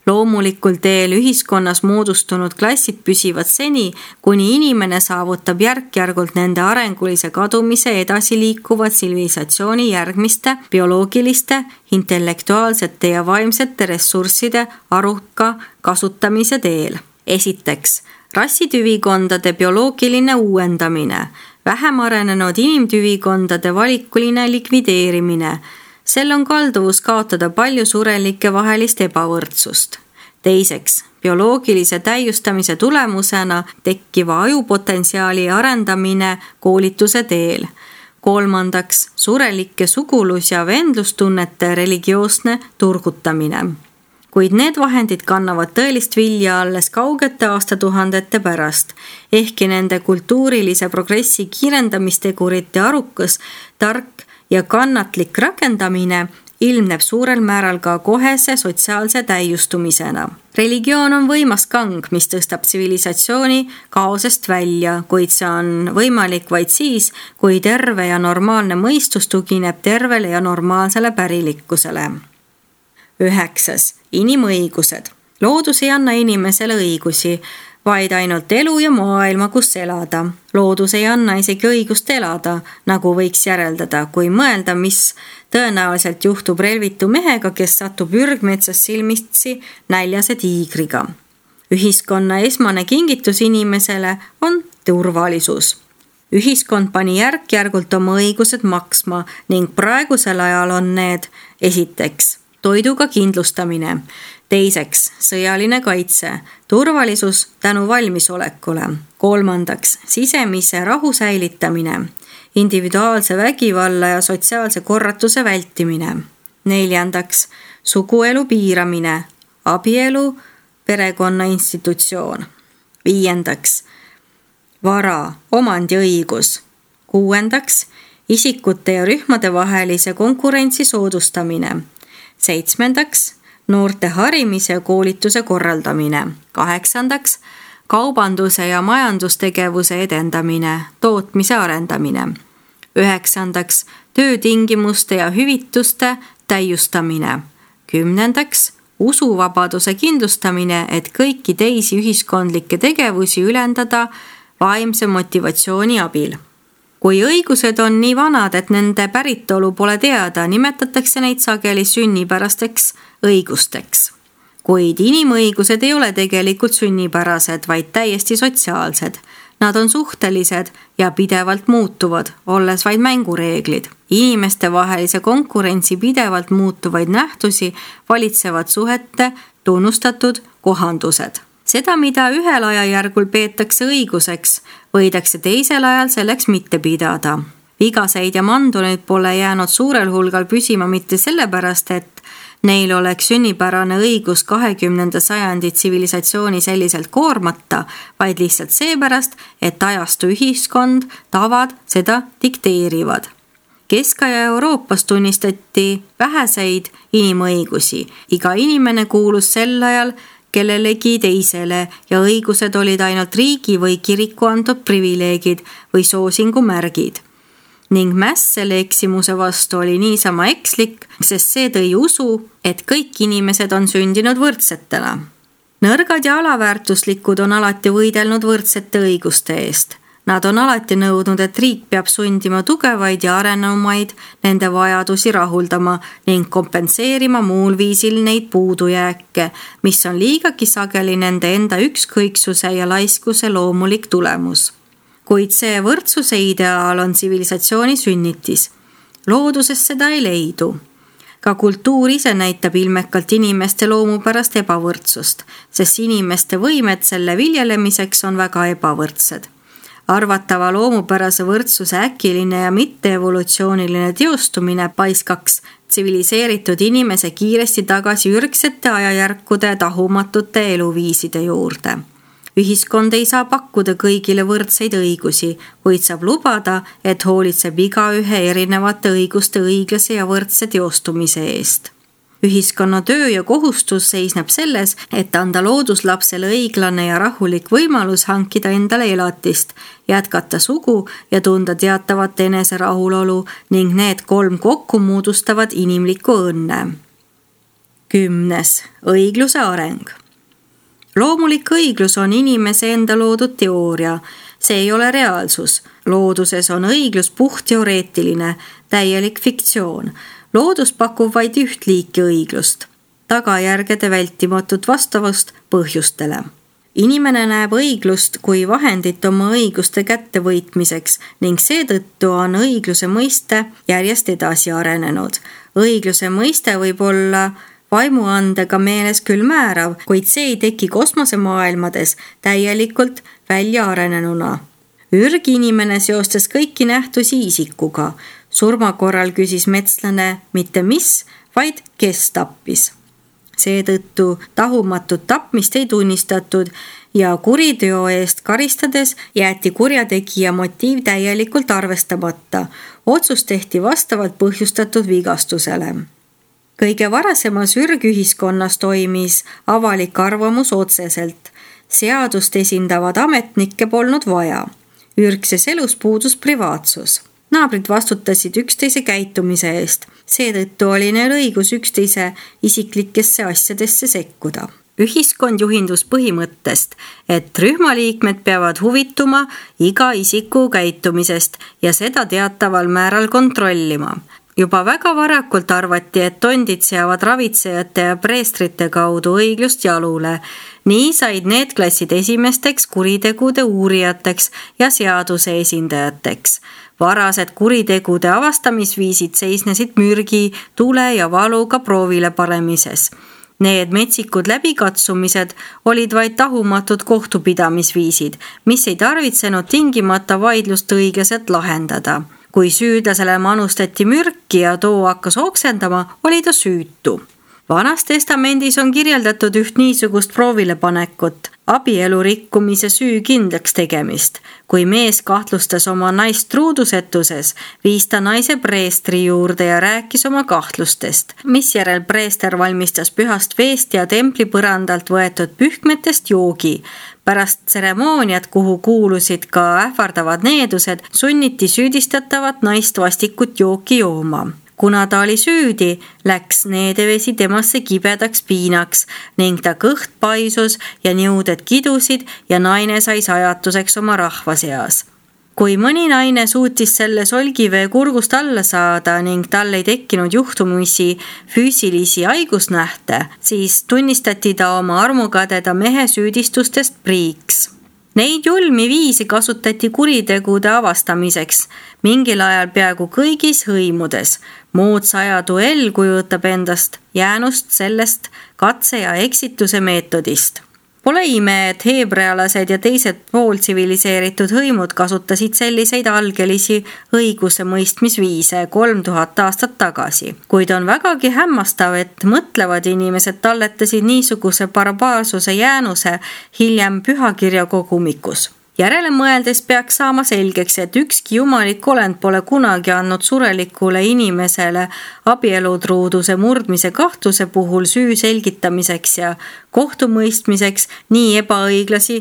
Loomulikul teel ühiskonnas moodustunud klassid püsivad seni, kuni inimene saavutab järk-järgult nende arengulise kadumise edasi liikuva tsivilisatsiooni järgmiste bioloogiliste, intellektuaalsete ja vaimsete ressursside aruka kasutamise teel. Esiteks, rassitüvikondade bioloogiline uuendamine, vähem arenenud inimtüvikondade valikuline likvideerimine. Sel on kalduvus kaotada palju surelike vahelist ebavõrdsust. Teiseks, bioloogilise täiustamise tulemusena tekkiva ajupotentsiaali arendamine koolituse teel. Kolmandaks, surelike sugulus- ja vendlustunnete religioosne turgutamine. Kuid need vahendid kannavad tõelist vilja alles kaugete aastatuhandete pärast, ehkki nende kultuurilise progressi kiirendamistegurite arukas, tark ja kannatlik rakendamine ilmneb suurel määral ka kohese sotsiaalse täiustumisena. Religioon on võimas kang, mis tõstab tsivilisatsiooni kaosest välja, kuid see on võimalik vaid siis, kui terve ja normaalne mõistus tugineb tervele ja normaalsele pärilikkusele. 9. Inimõigused. Loodus ei anna inimesele õigusi, vaid ainult elu ja maailma, kus elada. Loodus ei anna isegi õigust elada, nagu võiks järeldada, kui mõelda, mis tõenäoliselt juhtub relvitu mehega, kes satub ürgmetsas silmitsi näljase tiigriga. Ühiskonna esmane kingitus inimesele on turvalisus. Ühiskond pani järk-järgult oma õigused maksma ning praegusel ajal on need esiteks toiduga kindlustamine, teiseks sõjaline kaitse, turvalisus tänu valmisolekule, kolmandaks sisemise rahu säilitamine, individuaalse vägivalla ja sotsiaalse korratuse vältimine, neljandaks suguelu piiramine, abielu, perekonna institutsioon, viiendaks vara, omandiõigus, kuuendaks isikute ja rühmade vahelise konkurentsi soodustamine, seitsmendaks noorte harimise ja koolituse korraldamine, kaheksandaks kaubanduse ja majandustegevuse edendamine, tootmise arendamine, üheksandaks töötingimuste ja hüvituste täiustamine, kümnendaks usuvabaduse kindlustamine, et kõiki teisi ühiskondlikke tegevusi ülendada vaimse motivatsiooni abil. Kui õigused on nii vanad, et nende päritolu pole teada, nimetatakse neid sageli sünnipärasteks õigusteks. Kuid inimõigused ei ole tegelikult sünnipärased, vaid täiesti sotsiaalsed. Nad on suhtelised ja pidevalt muutuvad, olles vaid mängureeglid. Inimeste vahelise konkurentsi pidevalt muutuvaid nähtusi valitsevad suhete tunnustatud kohandused. Seda, mida ühel ajajärgul peetakse õiguseks, võidakse teisel ajal selleks mitte pidada. Vigaseid ja manduneid pole jäänud suurel hulgal püsima mitte sellepärast, et neil oleks sünnipärane õigus 20. sajandi tsivilisatsiooni selliselt koormata, vaid lihtsalt seepärast, et ajastu ühiskond, tavad seda dikteerivad. Kesk-aja Euroopas tunnistati väheseid inimõigusi. Iga inimene kuulus sel ajal kellelegi teisele ja õigused olid ainult riigi või kiriku antud privileegid või soosingu märgid. Ning mäss selle eksimuse vastu oli niisama ekslik, sest see tõi usu, et kõik inimesed on sündinud võrdsetena. Nõrgad ja alaväärtuslikud on alati võidelnud võrdsete õiguste eest. Nad on alati nõudnud, et riik peab sundima tugevaid ja arenumaid nende vajadusi rahuldama ning kompenseerima muul viisil neid puudujääke, mis on liigagi sageli nende enda ükskõiksuse ja laiskuse loomulik tulemus. Kuid see võrdsuse ideaal on tsivilisatsiooni sünnitis. Looduses seda ei leidu. Ka kultuur ise näitab ilmekalt inimeste loomupärast ebavõrdsust, sest inimeste võimed selle viljelemiseks on väga ebavõrdsed. Arvatava loomupärase võrdsuse äkiline ja mitte-evolutsiooniline teostumine paiskaks tsiviliseeritud inimese kiiresti tagasi ürgsete ajajärkude tahumatute eluviiside juurde. Ühiskond ei saa pakkuda kõigile võrdseid õigusi, kuid saab lubada, et hoolitseb igaühe erinevate õiguste õiglase ja võrdse teostumise eest. Ühiskonna töö ja kohustus seisneb selles, et anda looduslapsele õiglane ja rahulik võimalus hankida endale elatist, jätkata sugu ja tunda teatavat enese rahulolu ning need 3 kokku moodustavad inimliku õnne. 10. Õigluse areng. Loomulik õiglus on inimese enda loodud teooria. See ei ole reaalsus. Looduses on õiglus puhtteoreetiline, täielik fiktsioon. Loodus pakub vaid üht liiki õiglust, tagajärgede vältimatut vastavust põhjustele. Inimene näeb õiglust kui vahendit oma õiguste kättevõitmiseks ning seetõttu on õigluse mõiste järjest edasi arenenud. Õigluse mõiste võib olla vaimuandega meeles küll määrav, kuid see ei teki kosmosemaailmades täielikult välja arenenuna. Ürginimene seostas kõiki nähtusi isikuga. Surma korral küsis metslane mitte mis, vaid kes tappis. Seetõttu tahumatut tapmist ei tunnistatud ja kuriteo eest karistades jäeti kurjategija motiiv täielikult arvestamata. Otsus tehti vastavalt põhjustatud vigastusele. Kõige varasemas ürgühiskonnas toimis avalik arvamus otseselt. Seadust esindavad ametnikke polnud vaja. Ürgses elus puudus privaatsus. Naabrid vastutasid üksteise käitumise eest. Seetõttu oli neil õigus üksteise isiklikesse asjadesse sekkuda. Ühiskond juhindus põhimõttest, et rühmaliikmed peavad huvituma iga isiku käitumisest ja seda teataval määral kontrollima. Juba väga varakult arvati, et tondid seavad ravitsejate ja preestrite kaudu õiglust jalule. Nii said need klassid esimesteks kuritegude uurijateks ja seaduse esindajateks. Varased kuritegude avastamisviisid seisnesid mürgi, tule ja valuga proovile panemises. Need metsikud läbikatsumised olid vaid tahumatud kohtupidamisviisid, mis ei tarvitsenud tingimata vaidlust õiglaselt lahendada. Kui süüdlasele manustati mürki ja too hakkas oksendama, oli ta süütu. Vanas testamendis on kirjeldatud üht niisugust proovilepanekut, abielu rikkumise süü kindlaks tegemist. Kui mees kahtlustas oma naist truudusetuses, viis ta naise preestri juurde ja rääkis oma kahtlustest, misjärel preester valmistas pühast veest ja templi põrandalt võetud pühkmetest joogi. Pärast tseremooniat, kuhu kuulusid ka ähvardavad needused, sunniti süüdistatavat naist vastikut jooki jooma. Kuna ta oli süüdi, läks needevesi temasse kibedaks piinaks ning ta kõht paisus ja niuded kidusid ja naine sai sajatuseks oma rahva seas. Kui mõni naine suutis selle solgivee kurgust alla saada ning tal ei tekkinud juhtumisi füüsilisi haigusnähte, siis tunnistati ta oma armukadeda mehe süüdistustest priiks. Neid julmi viisi kasutati kuritegude avastamiseks, mingil ajal peaaegu kõigis hõimudes. Moodsa aja duell kujutab endast jäänust sellest katse ja eksituse meetodist. Pole ime, et heebrealased ja teised pooltsiviliseeritud hõimud kasutasid selliseid algelisi õiguse mõistmisviise 3000 aastat tagasi. Kuid on vägagi hämmastav, et mõtlevad inimesed talletasid niisuguse barbaarsuse jäänuse hiljem pühakirja kogumikus. Järele mõeldes peaks saama selgeks, et ükski jumalik olend pole kunagi andnud surelikule inimesele abielutruuduse murdmise kahtluse puhul süü selgitamiseks ja kohtumõistmiseks nii ebaõiglasi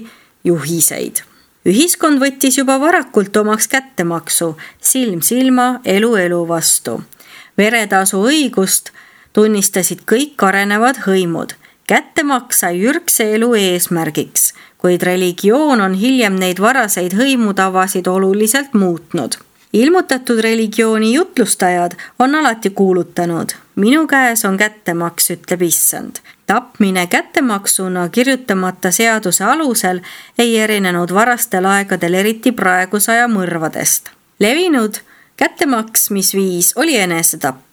juhiseid. Ühiskond võttis juba varakult omaks kättemaksu, silm silma, elu vastu. Veretasu õigust tunnistasid kõik arenevad hõimud. Kättemaks sai ürgse elu eesmärgiks, kuid religioon on hiljem neid varaseid hõimutavasid oluliselt muutnud. Ilmutatud religiooni jutlustajad on alati kuulutanud: minu käes on kättemaks, ütleb issand. Tapmine kättemaksuna kirjutamata seaduse alusel ei erinenud varastel aegadel eriti praeguse aja mõrvadest. Levinud kättemaksmisviis oli enesetapp.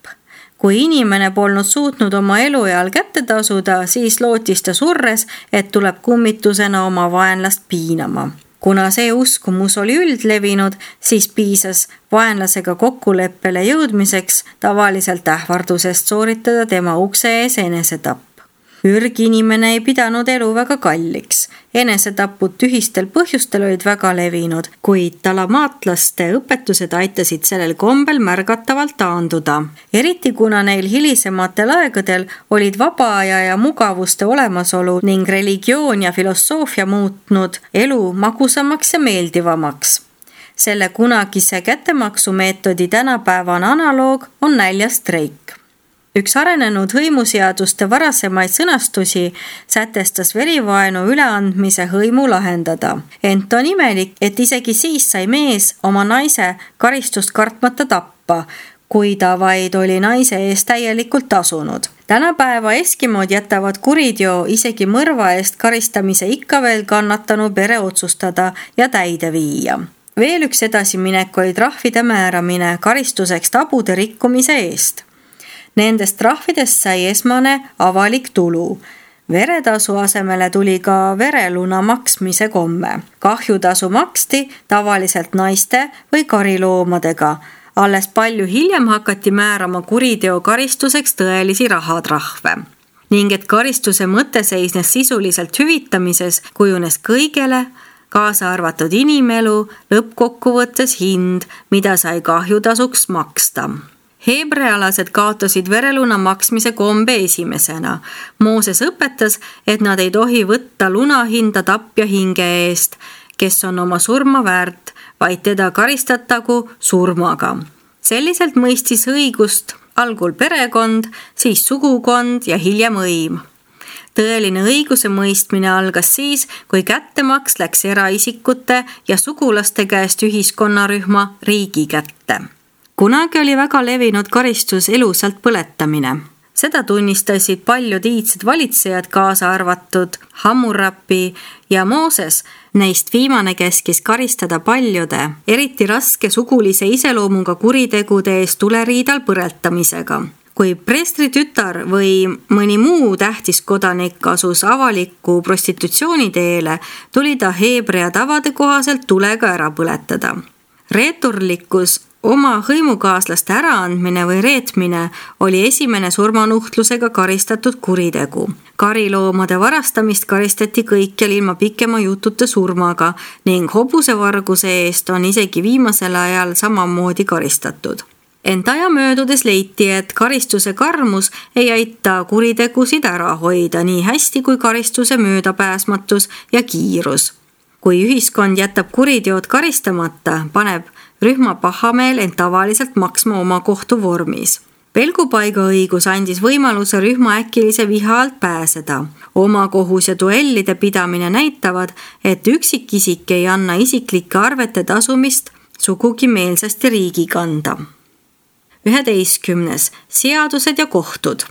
Kui inimene polnud suutnud oma elueal kätte tasuda, siis lootis ta surres, et tuleb kummitusena oma vaenlast piinama. Kuna see uskumus oli üldlevinud, siis piisas vaenlasega kokkuleppele jõudmiseks tavaliselt ähvardusest sooritada tema ukse ees enesetapp. Ürginimene ei pidanud elu väga kalliks. Enesetapud tühistel põhjustel olid väga levinud, kuid talamaatlaste õpetused aitasid sellel kombel märgatavalt taanduda. Eriti kuna neil hilisematel aegadel olid vaba aja ja mugavuste olemasolu ning religioon ja filosoofia muutnud elu magusamaks ja meeldivamaks. Selle kunagise kättemaksumeetodi tänapäevane analoog on näljastreik. Üks arenenud hõimuseaduste varasemaid sõnastusi sätestas verivaenu üleandmise hõimu lahendada. Ent on imelik, et isegi siis sai mees oma naise karistust kartmata tappa, kui ta vaid oli naise eest täielikult tasunud. Tänapäeva eskimod jätavad kuriteo isegi mõrva eest karistamise ikka veel kannatanu pere otsustada ja täide viia. Veel üks edasiminek oli trahvide määramine karistuseks tabude rikkumise eest. Nendest trahvidest sai esmane avalik tulu. Veretasu asemele tuli ka vereluna maksmise komme. Kahjutasu maksti tavaliselt naiste või kariloomadega. Alles palju hiljem hakati määrama kuriteo karistuseks tõelisi rahatrahve. Ning et karistuse mõte seisnes sisuliselt hüvitamises, kujunes kõigele, kaasa arvatud inimelu, lõppkokkuvõttes hind, mida sai kahjutasuks maksta. Heebrealased kaotasid vereluna maksmise kombe esimesena. Mooses õpetas, et nad ei tohi võtta lunahinda tapja hinge eest, kes on oma surma väärt, vaid teda karistatagu surmaga. Selliselt mõistis õigust algul perekond, siis sugukond ja hiljem õim. Tõeline õiguse mõistmine algas siis, kui kättemaks läks eraisikute ja sugulaste käest ühiskonnarühma riigi kätte. Kunagi oli väga levinud karistus elusalt põletamine. Seda tunnistasid paljud iidsed valitsejad, kaasa arvatud Hammurapi ja Mooses. Neist viimane käskis karistada paljude, eriti raske sugulise iseloomuga kuritegude eest tuleriidal põletamisega. Kui preestri tütar või mõni muu tähtis kodanik asus avaliku prostitutsiooni teele, tuli ta heebrea tavade kohaselt tulega ära põletada. Reeturlikkus, oma hõimukaaslaste äraandmine või reetmine oli esimene surmanuhtlusega karistatud kuritegu. Kariloomade varastamist karistati kõikjal ilma pikema jututa surmaga ning hobusevarguse eest on isegi viimasel ajal samamoodi karistatud. Ent aja möödudes leiti, et karistuse karmus ei aita kuritegusid ära hoida nii hästi kui karistuse möödapääsmatus ja kiirus. Kui ühiskond jätab kuriteod karistamata, paneb rühma pahameel end tavaliselt maksma oma kohtu vormis. Pelgupaiga õigus andis võimaluse rühma äkilise viha alt pääseda. Oma kohus ja duellide pidamine näitavad, et üksikisik ei anna isiklike arvete tasumist sugugi meelsasti riigi kanda. 11. Seadused ja kohtud.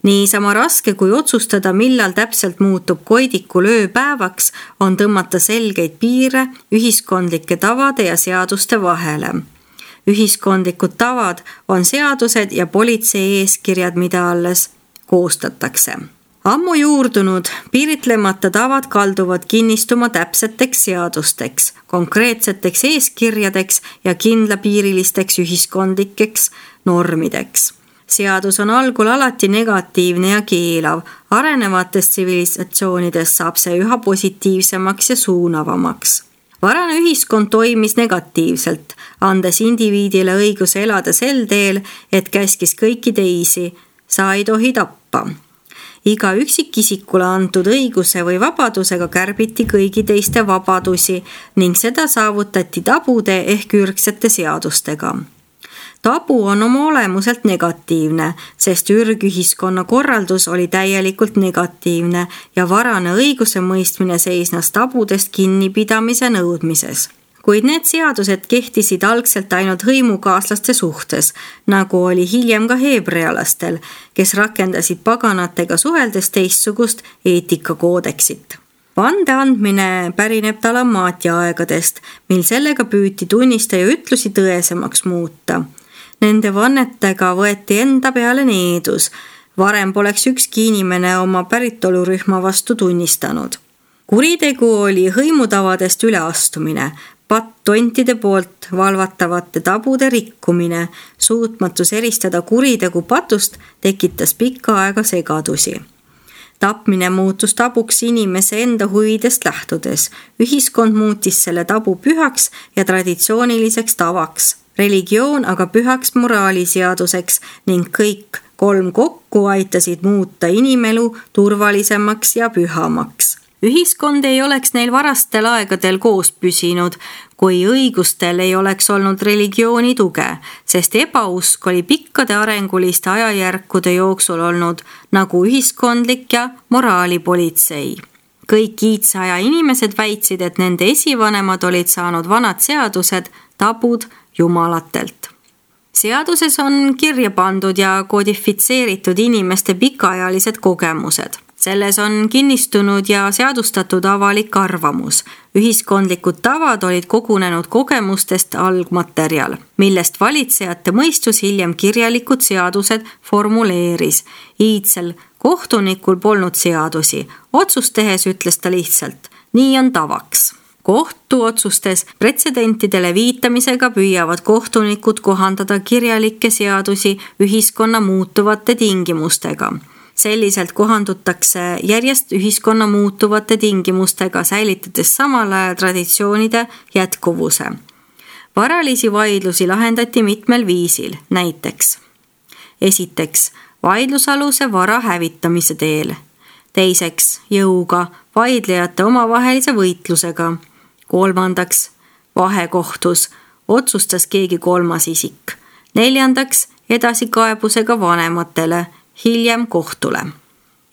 Niisama raske kui otsustada, millal täpselt muutub koidikul ööpäevaks, on tõmmata selgeid piire ühiskondlike tavade ja seaduste vahele. Ühiskondlikud tavad on seadused ja politsei eeskirjad, mida alles koostatakse. Ammu juurdunud, piiritlemata tavad kalduvad kinnistuma täpseteks seadusteks, konkreetseteks eeskirjadeks ja kindlapiirilisteks ühiskondlikeks normideks. Seadus on algul alati negatiivne ja keelav. Arenevatest tsivilisatsioonidest saab see üha positiivsemaks ja suunavamaks. Varane ühiskond toimis negatiivselt, andes indiviidile õiguse elada sel teel, et käskis kõiki teisi, sa ei tohi tappa. Iga üksikisikule antud õiguse või vabadusega kärbiti kõigi teiste vabadusi ning seda saavutati tabude ehk ürgsete seadustega. Tabu on oma olemuselt negatiivne, sest ürgühiskonna korraldus oli täielikult negatiivne ja varane õiguse mõistmine seisnes tabudest kinnipidamise nõudmises. Kuid need seadused kehtisid algselt ainult hõimukaaslaste suhtes, nagu oli hiljem ka heebrealastel, kes rakendasid paganatega suheldes teistsugust eetikakoodeksit. Vande andmine pärineb talamaatia aegadest, mil sellega püüti tunnistaja ütlusi tõesemaks muuta. Nende vannetega võeti enda peale needus. Varem poleks ükski inimene oma päritolurühma vastu tunnistanud. Kuritegu oli hõimutavadest üleastumine, patt-tontide poolt valvatavate tabude rikkumine, suutmatus eristada kuritegu patust tekitas pikka aega segadusi. Tapmine muutus tabuks inimese enda huvidest lähtudes. Ühiskond muutis selle tabu pühaks ja traditsiooniliseks tavaks. Religioon aga pühaks moraaliseaduseks ning kõik 3 kokku aitasid muuta inimelu turvalisemaks ja pühamaks. Ühiskond ei oleks neil varastel aegadel koos püsinud, kui õigustel ei oleks olnud religiooni tuge, sest ebausk oli pikkade arenguliste ajajärkude jooksul olnud nagu ühiskondlik ja moraalipolitsei. Kõik iidse aja inimesed väitsid, et nende esivanemad olid saanud vanad seadused, tabud jumalatelt. Seaduses on kirja pandud ja kodifitseeritud inimeste pikaajalised kogemused. Selles on kinnistunud ja seadustatud avalik arvamus. Ühiskondlikud tavad olid kogunenud kogemustest algmaterjal, millest valitsejate mõistus hiljem kirjalikud seadused formuleeris. Iidsel kohtunikul polnud seadusi. Otsust tehes ütles ta lihtsalt, nii on tavaks. Kohtuotsustes pretsedentidele viitamisega püüavad kohtunikud kohandada kirjalikke seadusi ühiskonna muutuvate tingimustega. Selliselt kohandutakse järjest ühiskonna muutuvate tingimustega, säilitades samal ajal traditsioonide jätkuvuse. Varalisi vaidlusi lahendati mitmel viisil, näiteks. Esiteks, vaidlusaluse vara hävitamise teel. Teiseks, jõuga, vaidlejate omavahelise võitlusega. Kolmandaks, vahekohtus, otsustas keegi 3. isik. Neljandaks, edasikaebusega vanematele, hiljem kohtule.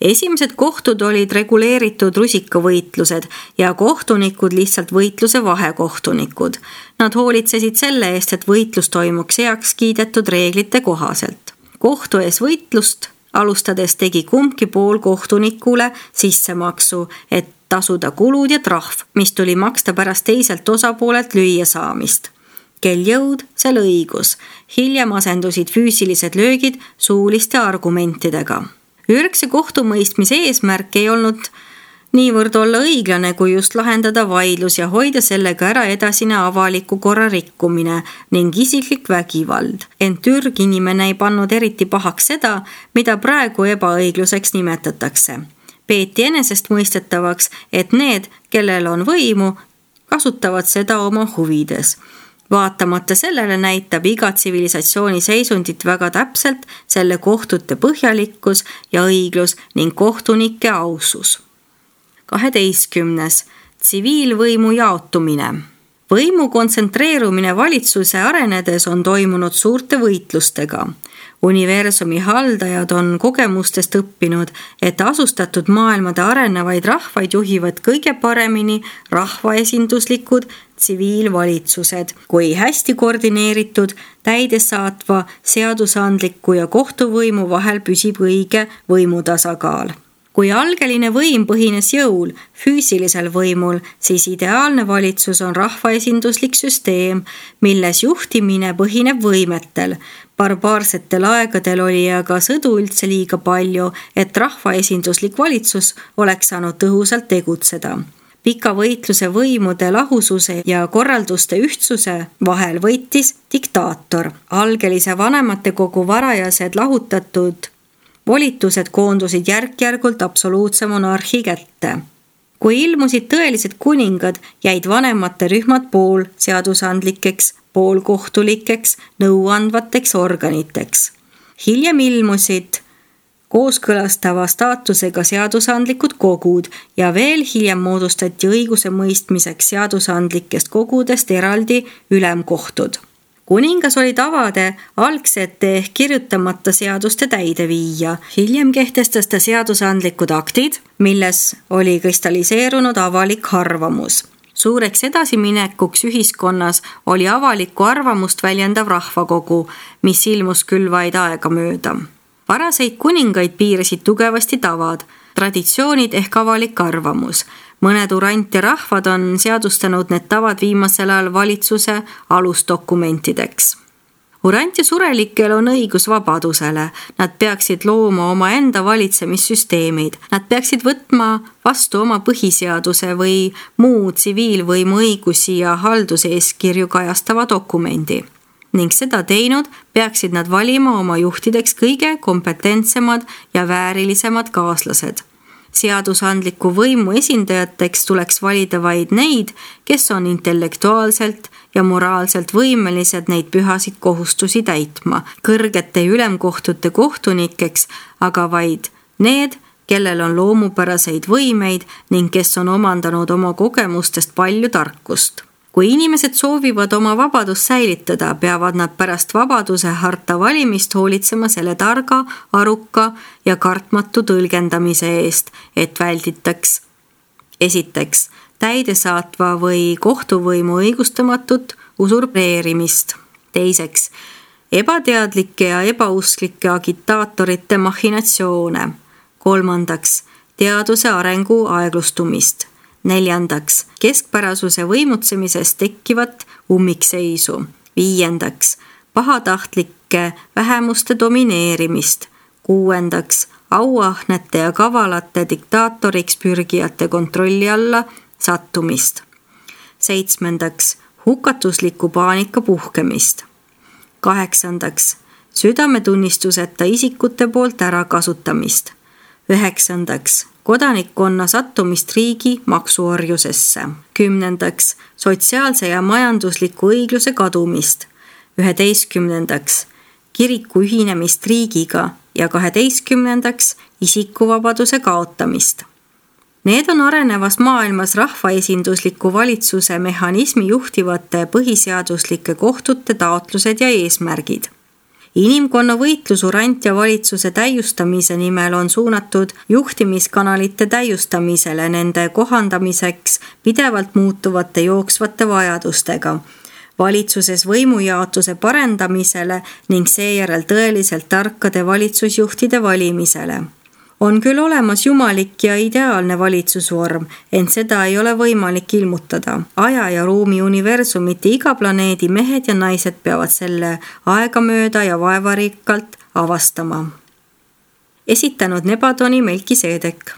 Esimesed kohtud olid reguleeritud rusikavõitlused ja kohtunikud lihtsalt võitluse vahekohtunikud. Nad hoolitsesid selle eest, et võitlus toimuks heaks kiidetud reeglite kohaselt. Kohtu ees võitlust alustades tegi kumbki pool kohtunikule sissemaksu, et tasuda kulud ja trahv, mis tuli maksta pärast teiselt osapoolelt lüüa saamist. Kel jõud, sel õigus. Hiljem asendusid füüsilised löögid suuliste argumentidega. Ürgse kohtumõistmise eesmärk ei olnud niivõrd olla õiglane, kui just lahendada vaidlus ja hoida sellega ära edasine avaliku korra rikkumine ning isiklik vägivald. Ent ürginimene ei pannud eriti pahaks seda, mida praegu ebaõigluseks nimetatakse. Peeti enesestmõistetavaks, et need, kellel on võimu, kasutavad seda oma huvides. Vaatamata sellele näitab iga tsivilisatsiooni seisundit väga täpselt selle kohtute põhjalikkus ja õiglus ning kohtunike ausus. 12. Tsiviilvõimu jaotumine. Võimu kontsentreerumine valitsuse arenedes on toimunud suurte võitlustega. Universumi haldajad on kogemustest õppinud, et asustatud maailmade arenevaid rahvaid juhivad kõige paremini rahvaesinduslikud tsiviilvalitsused, kui hästi koordineeritud täidesaatva, seadusandliku ja kohtuvõimu vahel püsib õige võimutasakaal. Kui algeline võim põhines jõul, füüsilisel võimul, siis ideaalne valitsus on rahvaesinduslik süsteem, milles juhtimine põhineb võimetel. Barbaarsetel aegadel oli aga sõdu üldse liiga palju, et rahvaesinduslik valitsus oleks saanud tõhusalt tegutseda. Pika võitluse võimude lahususe ja korralduste ühtsuse vahel võitis diktaator. Algelise vanematekogu varajased lahutatud volitused koondusid järk-järgult absoluutse monarhi kätte. Kui ilmusid tõelised kuningad, jäid vanemate rühmad pool seadusandlikeks, poolkohtulikeks, nõuandvateks organiteks. Hiljem ilmusid kooskõlastava staatusega seadusandlikud kogud ja veel hiljem moodustati õiguse mõistmiseks seadusandlikest kogudest eraldi ülemkohtud. Kuningas oli tavade algsete ehk kirjutamata seaduste täideviija. Hiljem kehtestas ta seadusandlikud aktid, milles oli kristalliseerunud avalik arvamus. Suureks edasiminekuks ühiskonnas oli avalikku arvamust väljendav rahvakogu, mis ilmus küll vaid aega mööda. Varaseid kuningaid piirasid tugevasti tavad, traditsioonid ehk avalik arvamus. Mõned urant ja rahvad on seadustanud need tavad viimasel ajal valitsuse alusdokumentideks. Urant ja surelikel on õigus vabadusele. Nad peaksid looma oma enda valitsemissüsteemid. Nad peaksid võtma vastu oma põhiseaduse või muu tsiviilvõimu õigusi ja halduseeskirju kajastava dokumendi. Ning seda teinud peaksid nad valima oma juhtideks kõige kompetentsemad ja väärilisemad kaaslased. Seadusandliku võimu esindajateks tuleks valida vaid neid, kes on intellektuaalselt ja moraalselt võimelised neid pühasid kohustusi täitma. Kõrgete ülemkohtute kohtunikeks aga vaid need, kellel on loomupäraseid võimeid ning kes on omandanud oma kogemustest palju tarkust. Kui inimesed soovivad oma vabadust säilitada, peavad nad pärast vabaduse harta valimist hoolitsema selle targa, aruka ja kartmatu tõlgendamise eest, et välditaks esiteks täidesaatva või kohtuvõimu õigustamatut usurpeerimist, teiseks ebateadlike ja ebausklike agitaatorite machinatsioone, kolmandaks teaduse arengu aeglustumist, neljandaks keskpärasuse võimutsemisest tekkivat ummikseisu, viiendaks pahatahtlike vähemuste domineerimist, kuuendaks auahnete ja kavalate diktaatoriks pürgijate kontrolli alla sattumist, seitsmendaks hukatusliku paanika puhkemist, kaheksandaks südametunnistuseta isikute poolt ärakasutamist, üheksandaks kodanikkonna sattumist riigi maksuorjusesse, kümnendaks sotsiaalse ja majandusliku õigluse kadumist, 11. kiriku ühinemist riigiga ja 12. isikuvabaduse kaotamist. Need on arenevas maailmas rahvaesindusliku valitsuse mehhanismi juhtivate põhiseaduslike kohtute taotlused ja eesmärgid. Inimkonna võitlus urant ja valitsuse täiustamise nimel on suunatud juhtimiskanalite täiustamisele, nende kohandamiseks pidevalt muutuvate jooksvate vajadustega, valitsuses võimujaotuse parendamisele ning seejärel tõeliselt tarkade valitsusjuhtide valimisele. On küll olemas jumalik ja ideaalne valitsusvorm, ent seda ei ole võimalik ilmutada. Aja ja ruumi universumite iga planeedi mehed ja naised peavad selle aegamööda ja vaevarikkalt avastama. Esitanud Nebadoni Melkiseedek.